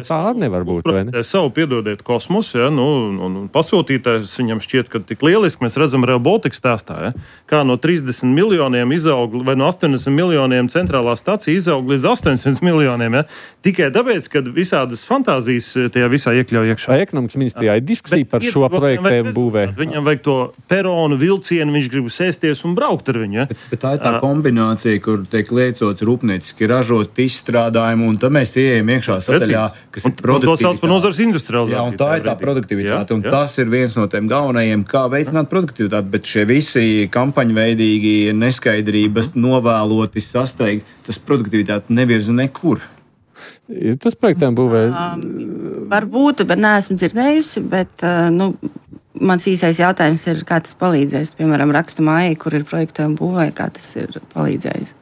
Tā nevar būt. Savu piedodiet kosmosu, ja? Un pasūtītājs viņam šķiet, ka tik lieliski mēs redzam Rail Baltica stāstā, ja? Kā no 30 miljoniem izaug, vai no 80 miljoniem centrālā stacija izaug līdz 800 miljoniem. Ja? Tikai tāpēc, ka visādas fantāzijas tajā visā iekļauj iekšā. Ekonomikas ministrijā ir diskusija par šo projektējumu būvē. Viņam vajag to peronu, vilcienu, viņš grib sēsties un braukt ar viņu. Ja? Bet tā ir tā kombinācija, kur tiek liecots rūpnieciski ražot izstrādājumu, un tad mēs ieejam iekšā sadaļā, kas ir produktivitāte. To sauc par nozares industrializāciju. Jā, un tā ir tā produktivitāte, un tas ir viens no tiem galvenajiem, kā veicināt produktivitāti, bet šie visi kampaņveidīgi neskaidrības, novēloti sasteigt, tas produktivitāti nevirza nekur. Ir tas projektējumu būvē? Varbūt, bet neesmu dzirdējusi, bet mans īsais jautājums ir, kā tas palīdzēs. Piemēram, rakstu mājai, kur ir projektējumu būvē, kā tas ir palīdzējis.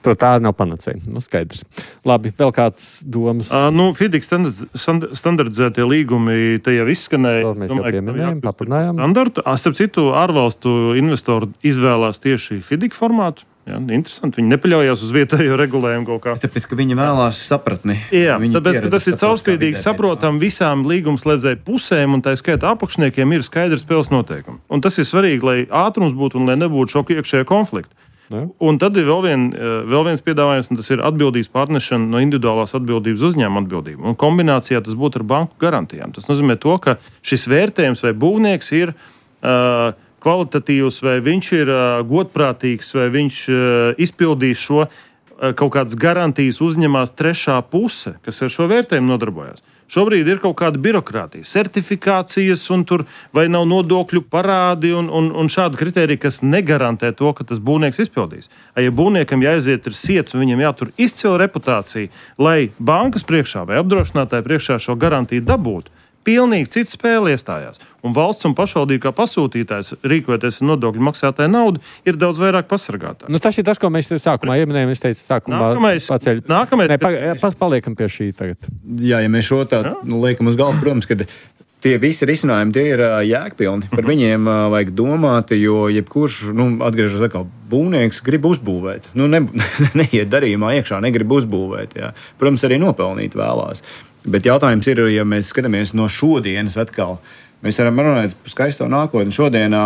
Tā nav panacēja. Skaidrs. Labi, vēl kāds domas? FIDIC standardizētie līgumi te jau izskanēja. To mēs jau pieminējām, papildinājām. Standartu. Starp citu, ārvalstu investori izvēlās tieši FIDIC formātu. Jā, interesanti. Viņi nepaļaujas uz vietējo regulējumu kaut kā. Tāpēc, ka viņi vēlās sapratni. Jā, tāpēc, ka tas ir caurspīdīgi saprotam visām līgumslēdzēju pusēm, un tā skaitā apakšniekiem ir skaidrs spēles noteikumi. Un tas ir svarīgi, lai ātrums būtu un lai nebūtu šoku iekšējā konflikta. Ja. Un tad ir vēl viens piedāvājums, un tas ir atbildības pārnešana no individuālās atbildības uzņēmuma atbildību. Un kombinācijā tas būtu ar banku garantijām. Tas nozīmē to, ka šis vērtējums vai būvnieks ir kvalitatīvs, vai viņš ir godprātīgs, vai viņš izpildīs šo kaut kādas garantijas uzņemās trešā puse, kas ar šo vērtējumu nodarbojas. Šobrīd ir kaut kāda birokrātija, certifikācijas, un tur vai nav nodokļu parādi un šādi kriteriji, kas negarantē to, ka tas būvnieks izpildīs. Ja būvniekam jāaiziet ir siets un viņam jātur izcila reputācija, lai bankas priekšā vai apdrošinātāji priekšā šo garantiju dabūtu, pilnīgi cita spēle iestājās. Un valsts un pašvaldība kā pasūtītājs, rīkojoties ar nodokļu maksātāju naudu, ir daudz vairāk pasargātā. Tas ir tas, ko mēs sākumā ieminējām. Es teicu, paliekam pie šī tagad. Jā, ja mēs šo tā liekam uz galvu, protams, ka tie visi risinājumi tie ir jēgpilni. Par viņiem vajag domāt, jo jebkurš, atgriežas atkal, būvnieks grib uzbūvēt. Neiet darījumā iekšā, negrib uzbūvēt. Jā. Protams, arī nopelnīt vēlās. Bet jautājums ir, ja mēs skatāmies no šodienas atkal, mēs varam runāt par skaisto nākotni. Šodienā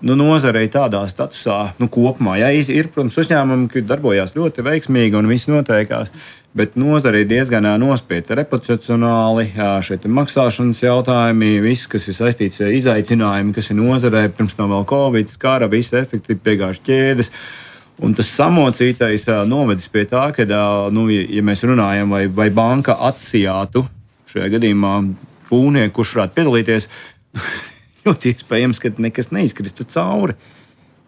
nozarei tādā statusā kopumā. Jā, ir, protams, uzņēmumi, kas darbojās ļoti veiksmīgi un viss noteikās, bet nozarei diezgan nospieta reputacionāli, šeit ir maksāšanas jautājumi, viss, kas ir saistīts ar izaicinājumi, kas ir nozarei, pirms tam vēl Covid, skara, visi efekti piegājuši ķēdes. Un tas samocītais novedis pie tā, ka, ja mēs runājam, vai banka atsijātu šajā gadījumā būvnieku, kurš varētu piedalīties, ļoti iespējams, ka nekas neizkristu cauri.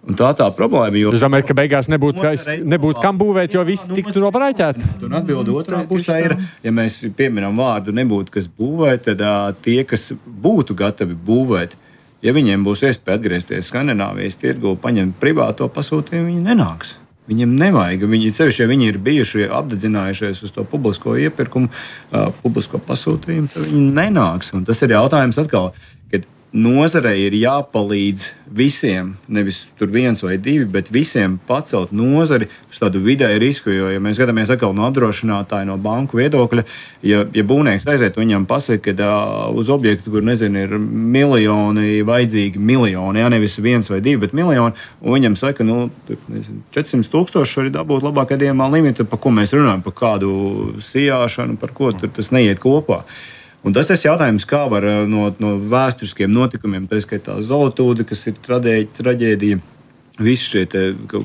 Un tā problēma. Es domāju, ka beigās nebūtu kam būvēt, jo viss tiktu nobraiķēti. Un atbilde otrā pusē ir, ja mēs pieminam vārdu nebūtu, kas būvē, tad tie, kas būtu gatavi būvēt, ja viņiem būs iespēja atgriezties Skandināvijas tirgu, paņemt privāto pasūtījumu, viņi nenāks. Viņiem nevajag. Sevišķi, ja viņi ir bijuši apdedzinājušies uz to publisko iepirkumu, publisko pasūtījumu, tad viņi nenāks. Un tas ir jautājums atkal, kad nozarei ir jāpalīdz visiem, nevis tur viens vai divi, bet visiem pacelt nozari uz tādu vidēju risku. Jo, ja mēs skatāmies atkal no apdrošinātāja, no banku viedokļa, ja būvnieks aiziet, viņam pasaka, ka uz objektu, kur ir miljoni, vajadzīgi miljoni, nevis viens vai divi, bet miljoni, un viņam saka, 400,000 var dabūt labākajā gadījumā limitu, par ko mēs runājam, par kādu sijāšanu, par ko tas neiet kopā. Un tas ir jautājums, kā var no vēsturiskiem notikumiem, tā skaitā Zolotūde, kas ir traģēdija, visi šie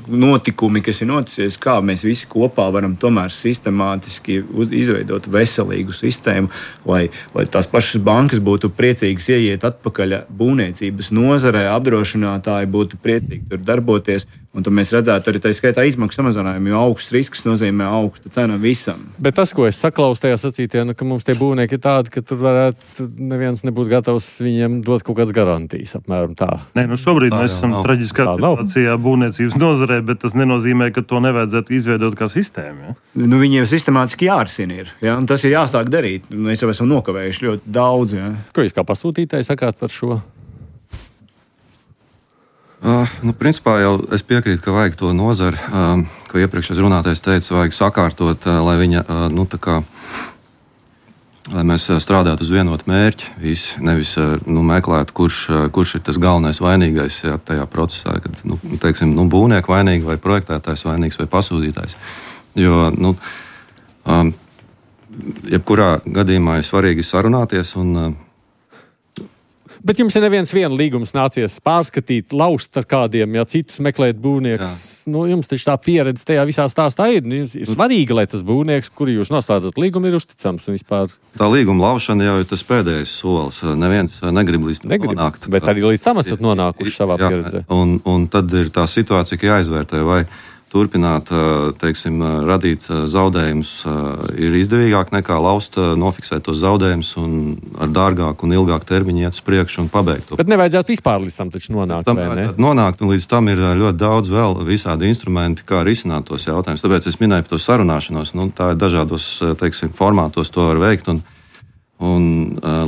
notikumi, kas ir noticies, kā mēs visi kopā varam tomēr sistemātiski izveidot veselīgu sistēmu, lai tās pašas bankas būtu priecīgas ieiet atpakaļ būvniecības nozarē, apdrošinātāji būtu priecīgi tur darboties. Un tad mēs redzētu arī tā skaitā izmaksu samazinājumu, jo augsts risks nozīmē augsta cena visam. Bet tas, ko es saklausu tajā sacītajā, ka mums tie būvnieki ir tādi, ka tur varētu neviens nebūt gatavs viņiem dot kaut kādas garantijas, apmēram tā. Nē, šobrīd mēs esam traģiskā situācijā būvniecības nozarē, bet tas nenozīmē, ka to nevajadzētu izveidot kā sistēmu. Ja? Viņi jau sistemātiski jārisina ir, ja? Un tas ir jāsāk darīt. Mēs jau esam nokavējuši ļoti daudz. Ja? Ko jūs kā pasūtītāji sakāt par šo? Principā jau es piekrītu, ka vajag to nozari, ko iepriekšējais runātais teica, vajag sakārtot, lai viņa, lai mēs strādātu uz vienotu mērķi, nevis meklētu, kurš ir tas galvenais vainīgais tajā procesā, kad, teiksim, būvnieku vainīgi vai projektētājs vainīgs vai pasūtītājs. Jo, jebkurā gadījumā ir svarīgi sarunāties un Bet jums ir neviens līgums nācies pārskatīt, laust ar kādiem, ja citus meklēt būvniekus. Jums taču tā pieredze tajā visā stāstā ir. Jums ir svarīgi, lai tas būvnieks, kuru jūs nostādāt līgumu, ir uzticams un vispār. Tā līguma laušana jau ir tas pēdējais solis. Neviens negrib līdz tam nonākt. Bet arī līdz tam esat nonākuši savā pieredzē. Un tad ir tā situācija, ka jāizvērtē, vai turpināt, teiksim, radīt zaudējumus ir izdevīgāk nekā laust, nofiksēt tos zaudējumus un ar dārgāku un ilgāku termiņu iet uz priekšu un pabeigt to. Bet nevajadzētu vispār līdz tam taču nonākt, vai ne? Nonākt, un līdz tam ir ļoti daudz vēl visādi instrumenti, kā risināt tos jautājumus. Tāpēc es minēju par to sarunāšanos. Tā ir dažādos, teiksim, formātos to var veikt, un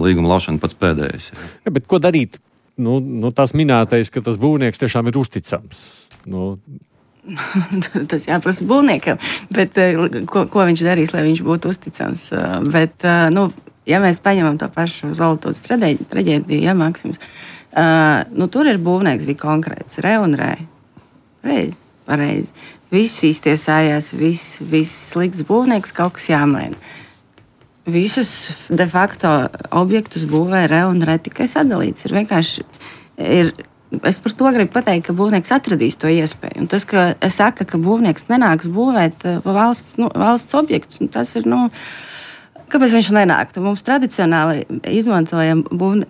līguma laušana pats pēdējais. Ja, bet ko darīt? Tās minētais, ka tas būvnieks tiešām ir uzticams. Tas jāprasa būvniekam, bet ko viņš darīs, lai viņš būtu uzticams. Bet, ja mēs paņemam to pašu Zoltūdas traģēdiju, ja, Maksims, tur ir būvnieks bija konkrēts, re un re. Pareizi. Viss iztiesājās, viss slikts būvnieks, kaut kas jāmaina. Visus de facto objektus būvē re un re tikai sadalīts. Ir vienkārši Es par to gribu pateikt, ka būvnieks atradīs to iespēju. Un tas, ka es saku, ka būvnieks nenāks būvēt valsts objektus, tas ir, kāpēc viņš nenāktu? Mums tradicionāli izmantojam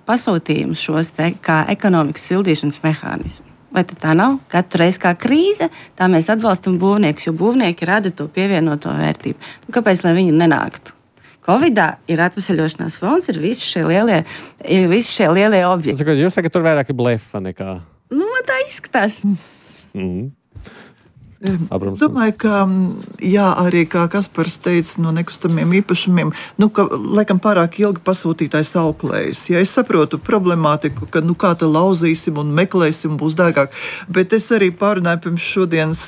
pasūtījumus šos te kā ekonomikas sildīšanas mehānismu. Vai tā nav? Katru reizi kā krīze, tā mēs atbalstam būvniekus, jo būvnieki rada to pievienoto vērtību. Kāpēc, lai viņi nenāktu? Covidā ir atvesaļošanās fonds, ir visi šie lielie objekti. Jūs sakat, tur vairāk ir blefa nekā? Tā izskatās. Es domāju, ka arī kā Kaspars teica no nekustamiem īpašumiem, ka laikam pārāk ilgi pasūtītājs auklējas. Ja es saprotu problemātiku, ka kā te lauzīsim un meklēsim, būs dārgāk, bet es arī pārunāju pirms šodienas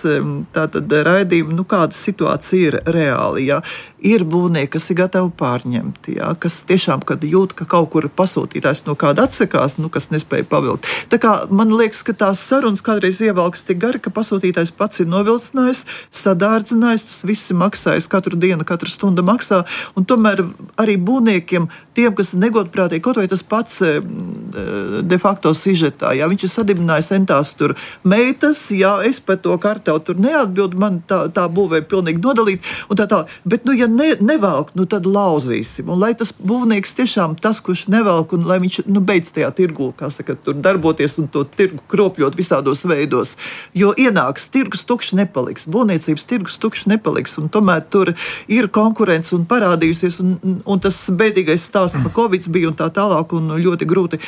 tātad raidījumu, kāda situācija ir reāli. Ja? Ir būvnieki, kas ir gatavi pārņemt, ja? Kas tiešām, kad jūt, ka kaut kur pasūtītājs no kāda atsakās, kas nespēja pavilkt. Tā kā man liekas, ka tās sarunas kādreiz ievelkas tik gari, ka pasūtītājs pats ir novilcinājis, sadārdzinājis, tas viss ir maksājis, katru dienu, katru stundu maksā, un tomēr arī būvniekiem, tiem, kas negodprātīgi, kaut vai tas pats de facto sižetā, ja viņš ir sadibinājis entās tur meitas, ja es par to kartevu tur neatbildu, man tā būvē pilnīgi nodalīt, un tā, bet, ja nevelk, tad lauzīsim, un lai tas būvnieks tiešām tas, kurš nevelk, un lai viņš, beidz tajā tirgu, kā saka, tur darboties un to tirgu kropļot visādos veidos, jo ienāks tirgus tukšs nepaliks, būvniecības tirgus tukšs nepaliks, un tomēr tur ir konkurence un parādījusies, un tas bēdīgais stāsts par Covid bija un tā tālāk, un ļoti grūti.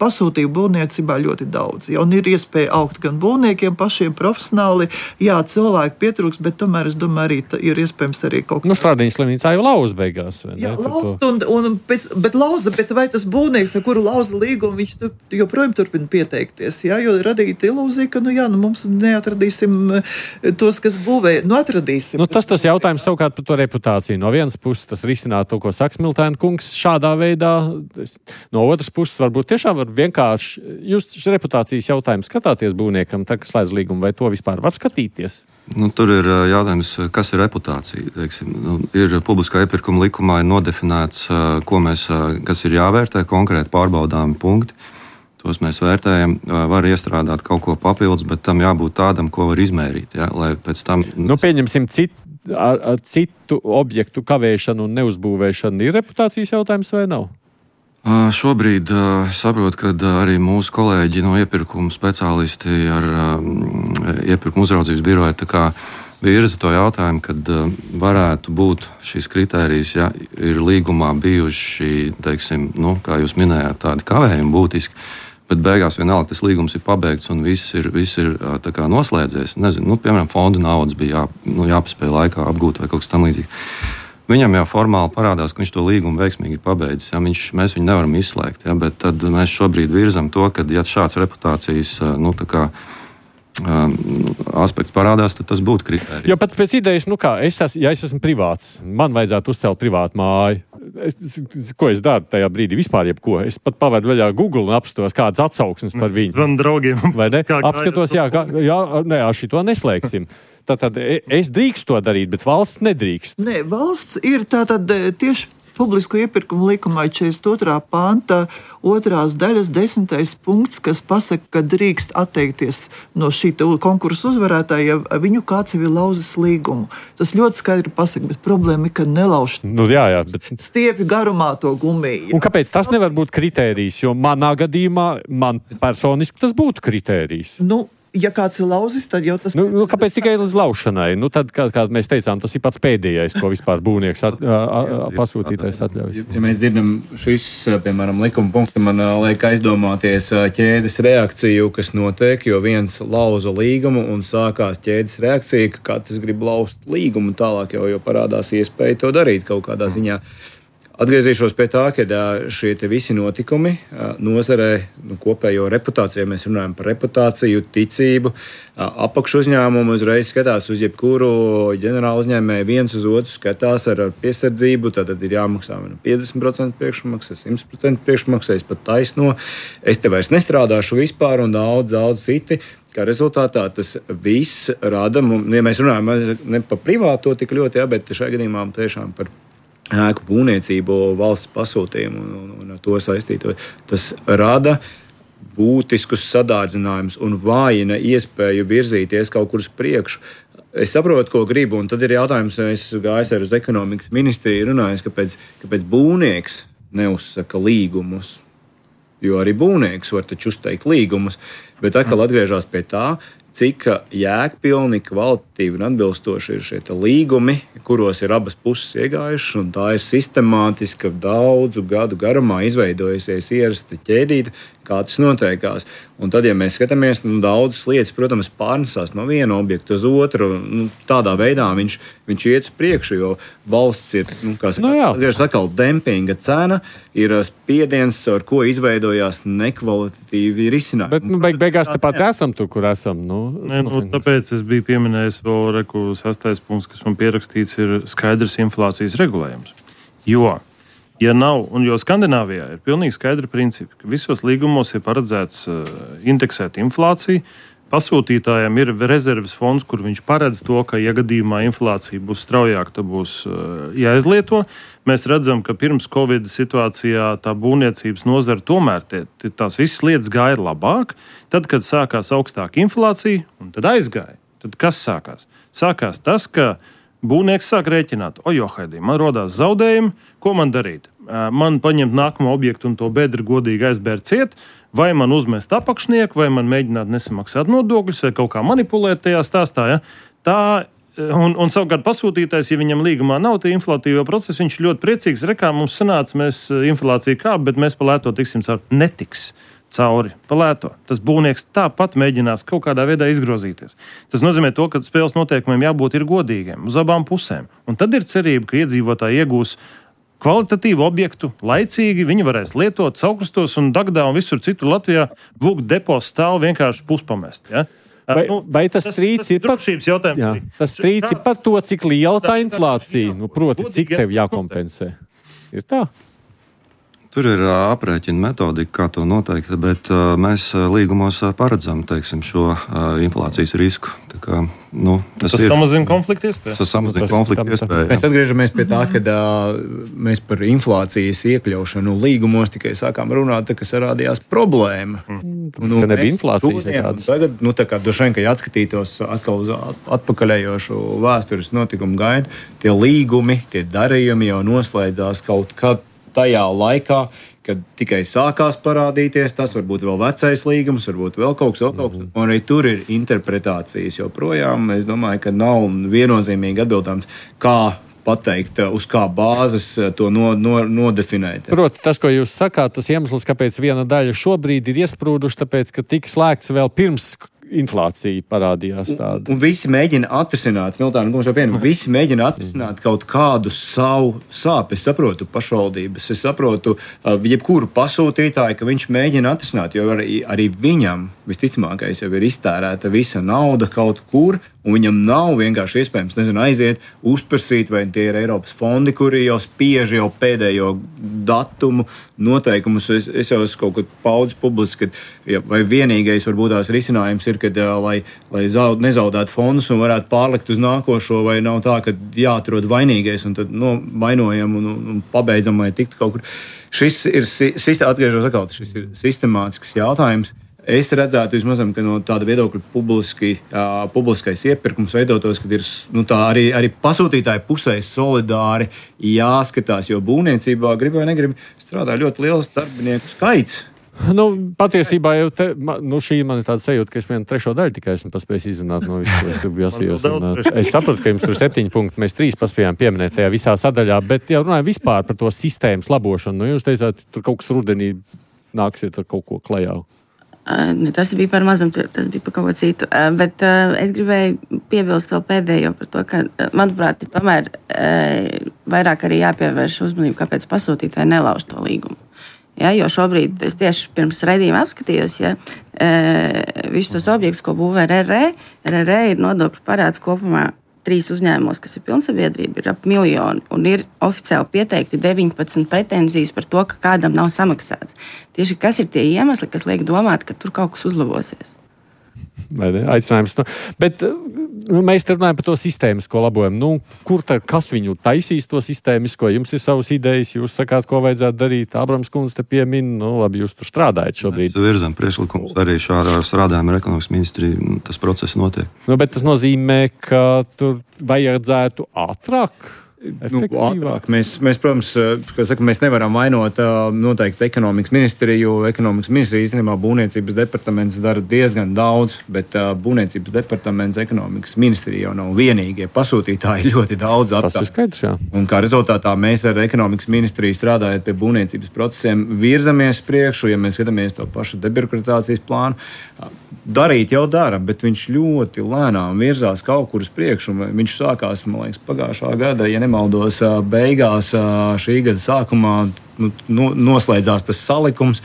Pasūtīju būvniecībā ļoti daudz, ja, un ir iespēja augt gan būvniekiem, pašiem profesionāli, jā, cilvēki pietrūks, bet tomēr es domāju, arī ir iespējams arī kaut kas. Strādiņas slimnīcā jau lauza beigās, vai ne? Jā, lauza, bet vai tas būvnieks, ar kuru lauza līgumu, viņš joprojām turpina pieteikties, jā, jo radīt ilūziju, ka, mums neatradīsim tos, kas būvē, atradīsim. Tas jautājums savukārt par to reputāciju. No vienas puses tas risināt to, ko saka Smiltēna kungs šādā veidā, no otras puses varbūt tiešām var vienkārši, jūs reputācijas jautājumu skatāties būvniekam, tā, kas slēdz līgumu, vai to vispār var skatīties? Tur ir jautājums, kas ir reputācija. Teiksim, ir publiskā iepirkuma likumā ir nodefinēts, kas ir jāvērtē, konkrēti pārbaudāmi punkti. Tos mēs vērtējam, var iestrādāt kaut ko papildus, bet tam jābūt tādam, ko var izmērīt. Ja, lai pēc tam... Pieņemsim citu objektu kavēšanu un neuzbūvēšanu. Ir reputācijas jautājums vai nav? Šobrīd saprotu, ka arī mūsu kolēģi no iepirkuma speciālisti ar iepirkuma uzraudzības biroju virza to jautājumu, kad varētu būt šīs kritērijas, ja ir līgumā bijuši, teiksim, kā jūs minējāt, tādi kavējumi būtiski, bet beigās vienalga tas līgums ir pabeigts un viss ir tā kā noslēdzies. Nezinu, piemēram, fonda naudas bija jāpaspēj laikā apgūt vai kaut kas tam līdzīgs. Viņam jau formāli parādās, ka viņš to līgumu veiksmīgi ir pabeidzis. Ja? Mēs viņu nevaram izslēgt, ja? Bet tad mēs šobrīd virzam to, ka, ja šāds reputācijas aspekts parādās, tad tas būtu kritērijs. Jo pats pēc idejas, ja es esmu privāts, man vajadzētu uzcelt privātu māju. Ko es daru tajā brīdī? Vispār jebko. Es pat pavedu vaļā Google un apskatos kādas atsauksmes par viņu. Zvanu draugiem. Vai ne? Apskatos, šito neslēgsim. Tātad es drīkstu to darīt, bet valsts nedrīkst. Nē, valsts ir tātad tieši publisko iepirkumu likumā 42. panta 2. daļas 10. punkts, kas pasaka, ka drīkst atteikties no šī konkursa uzvarētāja, ja viņu kāds jau ir lauzis līgumu. Tas ļoti skaidri pasaka, bet problēma ir, ka nelauž stiepi garumā to gumiju. Un kāpēc tas nevar būt kritērijs? Jo manā gadījumā, man personiski tas būtu kritērijs. Ja kāds ir lauzis, tad jau tas... Kāpēc tikai līdz laušanai? Tad, kā mēs teicām, tas ir pats pēdējais, ko vispār būvnieks pasūtītais atļaujas. Ja mēs dzirdam šis, piemēram, likuma punkts, man liek aizdomāties ķēdes reakciju, kas notiek, jo viens lauza līgumu un sākās ķēdes reakcija, ka katrs grib lauzt līgumu tālāk, jo parādās iespēja to darīt kaut kādā ziņā. Atgriezīšos pie tā, ka šie visi notikumi nozarē, kopējo reputāciju, ja mēs runājam par reputāciju, ticību, apakšu uzņēmumu uzreiz skatās uz jebkuru ģenerālu uzņēmēju, viens uz otru skatās ar piesardzību, tad ir jāmaksā 50% priekšmaksa, 100% priekšmaksa, es pat taisno, es te vairs nestrādāšu vispār un daudz citi. Kā rezultātā tas viss rada, ja mēs runājam ne par privāto tik ļoti, bet šajā gadījumā tiešām par ēku būvniecību, valsts pasūtījumu un ar to saistīto. Tas rada būtiskus sadārdzinājumus un vājina iespēju virzīties kaut kur uz priekšu. Es saprotu, ko gribu, un tad ir jautājums, es gāju ar uz ekonomikas ministriju runājis, kāpēc būvnieks neuzsaka līgumus. Jo arī būvnieks var taču uzteikt līgumus, bet atkal atgriežās pie tā, cik jēgpilni, kvalitatīvi un atbilstoši ir šie līgumi, kuros ir abas puses iegājušas, un tā ir sistemātiska daudzu gadu garumā izveidojusies ierasta ķēdīte, kā tas notiekās. Un tad, ja mēs skatāmies, daudzas lietas, protams, pārnesās no viena objekta uz otru, tādā veidā viņš iet uz priekšu, jo valsts ir, atkal dempinga cena, ir spiediens, ar ko izveidojās nekvalitatīvi risinājumi. Bet beigās tepat esam tur, kur esam. Tāpēc es biju pieminējis vēl 6. punkts, kas man pierakstīts, ir skaidrs inflācijas regulējums. Ja nav, un jo Skandināvijā ir pilnīgi skaidri principi, ka visos līgumos ir paredzēts indeksēt inflāciju, pasūtītājiem ir rezerves fonds, kur viņš paredz to, ka, ja gadījumā inflācija būs straujāka, tad būs jāizlieto. Mēs redzam, ka pirms Covid situācijā tā būvniecības nozara tomēr tās visas lietas gāja labāk. Tad, kad sākās augstāka inflācija, un tad aizgāja, tad kas sākās? Sākās tas, ka būvnieks sāk rēķināt, man rodās zaudējumi, ko man darīt? Man paņemt nākamo objektu un to bedri godīgi aizbērt ciet, vai man uzmest apakšnieku, vai man mēģināt nesamaksāt nodokļus, vai kaut kā manipulēt tajā stāstā. Ja? Un savukārt pasūtītājs, ja viņam līgumā nav tie inflatīvo procesi, viņš ļoti priecīgs, mums sanāca, mēs inflācija kāp, bet mēs pa lēto tiksim cauri. Netiks cauri pa lēto. Tas būvnieks tāpat mēģinās kaut kādā veidā izgrozīties. Tas nozīmē to, ka spēles noteikumiem jābūt ir godīgiem uz abām pusēm. Un tad ir cerība, ka iedzīvotāji iegūs kvalitatīvu objektu, laicīgi, viņi varēs lietot Saukrastos un Dagdā un visur citur Latvijā, būk depos stāv vienkārši puspamest. Ja? Vai tas strīds ir par to, cik liela tā inflācija, proti, cik tev jākompensē? Ir tā? Tur ir aprēķina metodika, kā to noteikt, bet mēs līgumos paredzam, šo inflācijas risku. Tas samazina konfliktu iespēju. Tas samazina konfliktu iespēju. Mēs atgriežamies pie tā, ka mēs par inflācijas iekļaušanu līgumos tikai sākām runāt, kas radījās problēma. Ka nebija inflācijas nekādas. Tagad, droši vien, ka atskatītos atkal uz atpakaļējošu vēstures notikumu gaidu, tie līgumi, tie darījumi jau noslēdzās kaut kad tajā laikā, kad tikai sākās parādīties, tas varbūt vēl vecais līgums, varbūt vēl kaut kas, un arī tur ir interpretācijas joprojām. Es domāju, ka nav viennozīmīgi atbildams, kā pateikt, uz kā bāzes to nodefinēt. Proti, tas, ko jūs sakāt, tas iemesls, kāpēc viena daļa šobrīd ir iesprūduši, tāpēc, ka tika slēgts vēl pirms inflācija parādījās tāda. Un visi mēģina atrisināt, visi mēģina atrisināt kaut kādu savu sāpi. Es saprotu pašvaldības, es saprotu jebkuru pasūtītāju, ka viņš mēģina atrisināt, jo arī viņam visticamākais jau ir iztērēta visa nauda kaut kur, un viņam nav vienkārši iespējams, aiziet, uzprasīt, vai tie ir Eiropas fondi, kuri jau spiež jau pēdējo datumu noteikumus. Es jau esmu kaut kad paudis publiski, vai vienīgais varbūt tās risinājums ir, kad, lai nezaudētu fondus un varētu pārlikt uz nākošo, vai nav tā, ka jāatrod vainīgais un tad vainojam un pabeidzam, vai tikt kaut kur. Šis ir sistemātisks jautājums. Es redzētu, vismaz, ka no tāda viedokļa publiskais iepirkums veidotos, kad ir arī pasūtītāji pusē solidāri jāskatās, jo būvniecībā grib vai negrib strādā ļoti liels darbinieku skaits. Patiesībā jau šī man ir tāda sajūta, ka es vienu trešo daļu tikai esmu paspējis izrunāt no visu, ko es gribu jāsījos. Es sapratu, ka jums tur 7 punkti, mēs 3 paspējām pieminēt tajā visā sadaļā, bet jau runāju vispār par to sistēmas labošanu. Jūs teicāt, tur kaut kas rudenī nāksiet ar kaut ko klajā. Tas bija par mazumu, tas bija par kaut ko citu. Bet es gribēju piebilst vēl pēdējo par to, ka, manuprāt, ir tomēr vairāk arī jāpievērš uzmanību, kāpēc pasūtītāji nelauž to līgumu. Ja, jo šobrīd es tieši pirms raidījuma apskatījos, visus tos objektus, ko būvē RRE ir nodokļu parāds kopumā 3 uzņēmumos, kas ir pilnsabiedrība, ir ap 1 miljonu, un ir oficiāli pieteikti 19 pretenzijas par to, ka kādam nav samaksāts. Tieši kas ir tie iemesli, kas liek domāt, ka tur kaut kas uzlabosies? Aicinājums. Bet mēs te runājam par to sistēmisko labojumu. Kas viņu taisīs to sistēmisko? Jums ir savas idejas, jūs sakāt, ko vajadzētu darīt. Abrams kundze te piemin, labi, jūs tur strādājat šobrīd. Mēs virzām priekšlikumus arī šādā strādājuma ar ekonomikas ministriju. Tas process notiek. Bet tas nozīmē, ka tur vajadzētu ātrāk? Ātrāk. Mēs, protams, mēs nevaram vainot noteikti ekonomikas ministriju, jo ekonomikas ministrija īstenībā būvniecības departaments dara diezgan daudz, bet būvniecības departaments ekonomikas ministrija jau nav vienīgie pasūtītāji ļoti daudz aptāk. Tas ir skaidrs, jā. Un kā rezultātā mēs ar ekonomikas ministriju strādājot pie būvniecības procesiem virzamies priekšu, ja mēs skatāmies to pašu debirokratizācijas plānu. Darīt jau dara, bet viņš ļoti lēnām virzās kaut kur uz priekšu. Viņš sākās, man liekas, pagājušā gada, ja nemaldos, beigās šī gada sākumā noslēdzās tas salikums.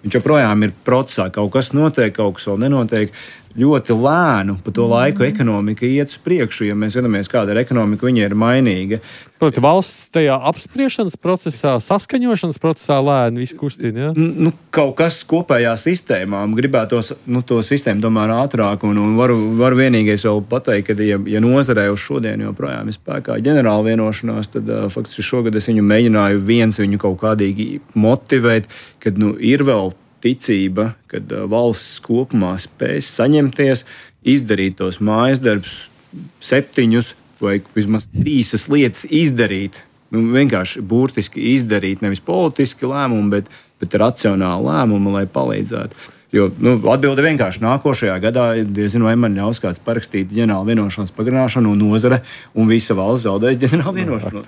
Viņš joprojām ir procesā, kaut kas notiek, kaut kas vēl nenotiek. Ļoti lēnu pa to laiku ekonomika iet uz priekšu, ja mēs skatāmies, kāda ir ekonomika, viņa ir mainīga. Proti, valsts tajā apspriešanas procesā, saskaņošanas procesā lēni visu kustina, ja? Kaut kas kopējā sistēmā, gribētos to sistēmu tomēr ātrāk, un varu vienīgais vēl pateikt, ka, ja nozarē uz šodien joprojām ir spēkā ģenerāla vienošanās, tad faktiski šogad es viņu mēģināju viņu kaut kādīgi motivēt, kad ir vēl ticība, kad valsts kopumā spēs saņemties, izdarīt tos mājas darbus 7 vai vismaz 3 lietas izdarīt. Vienkārši burtiski izdarīt, nevis politiski lēmumu, bet racionāli lēmumu, lai palīdzētu. Jo atbilde vienkārši nākošajā gadā, diezinu, vai man ļaus kāds parakstīt ģenerāla vienošanās pagarināšanu un nozare, un visa valsts zaudēs ģenerāla vienošanos.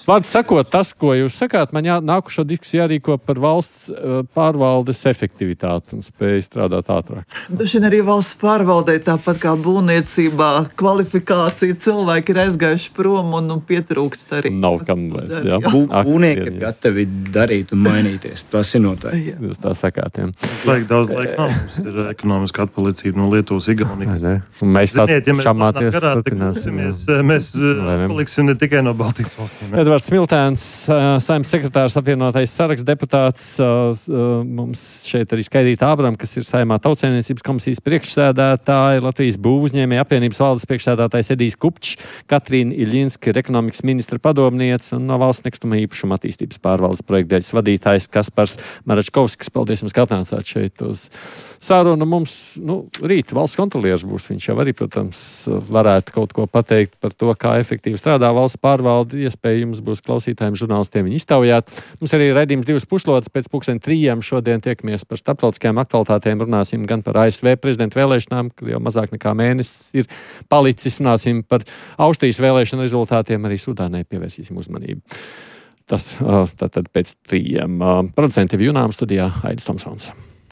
Vārds sakot, tas, ko jūs sakāt, man nākušo diskusiju jārīko par valsts pārvaldes efektivitāti un spēju strādāt ātrāk. Dažiem arī valsts pārvaldē, tāpat kā būvniecībā, kvalifikācija, cilvēki ir aizgājuši prom un pietrūkst arī. Nav kam vairs, jā. Būvnieki ir gatavi darīt un mainīties. Tas ir noteikti. Jūs tā sakāt, jā. Daudz laika nav. Mums ir ekonomiska atpalicība no Lietuvas, Igaunijas. Mēs tā šamāties turpināsimies. Mēs paliksim ne tikai no Baltijas valstīm. Edvards Smiltēns, Saeimas sekretārs, apvienotais saraksts deputāts. Mums šeit arī Skaidrīta Ābrama, kas ir Saeimā Tautsaimniecības komisijas priekšsēdētāja, Latvijas būvuzņēmēju apvienības valdes priekšsēdētājs Edijs Kupčs, Katrīna Iļinska, ekonomikas ministra padomniece un no valsts nekustamā īpašuma attīstības pārvaldes projektdaļas vadītājs Kaspars Maračkovskis. Paldies jums, ka atnācāt šeit uz sarunu. Mums rīt valsts kontrolieris būs. Viņš jau arī, protams, varētu kaut ko pateikt par to, kā efektīvi strādā valsts pārvalde. Iespējams būs klausītājiem, žurnālistiem viņi iztaujāt. Mums arī raidījums 2 puslodes pēc 2:30. Šodien tiekamies par starptautiskajām aktualitātēm. Runāsim gan par ASV prezidenta vēlēšanām, kad jau mazāk nekā mēnesis ir palicis. Runāsim par Austrijas vēlēšanu rezultātiem. Arī Sudānai pievērsīsim uzmanību. Tas tātad pēc 3. Producenti Junām studijā Aidis Tomsons.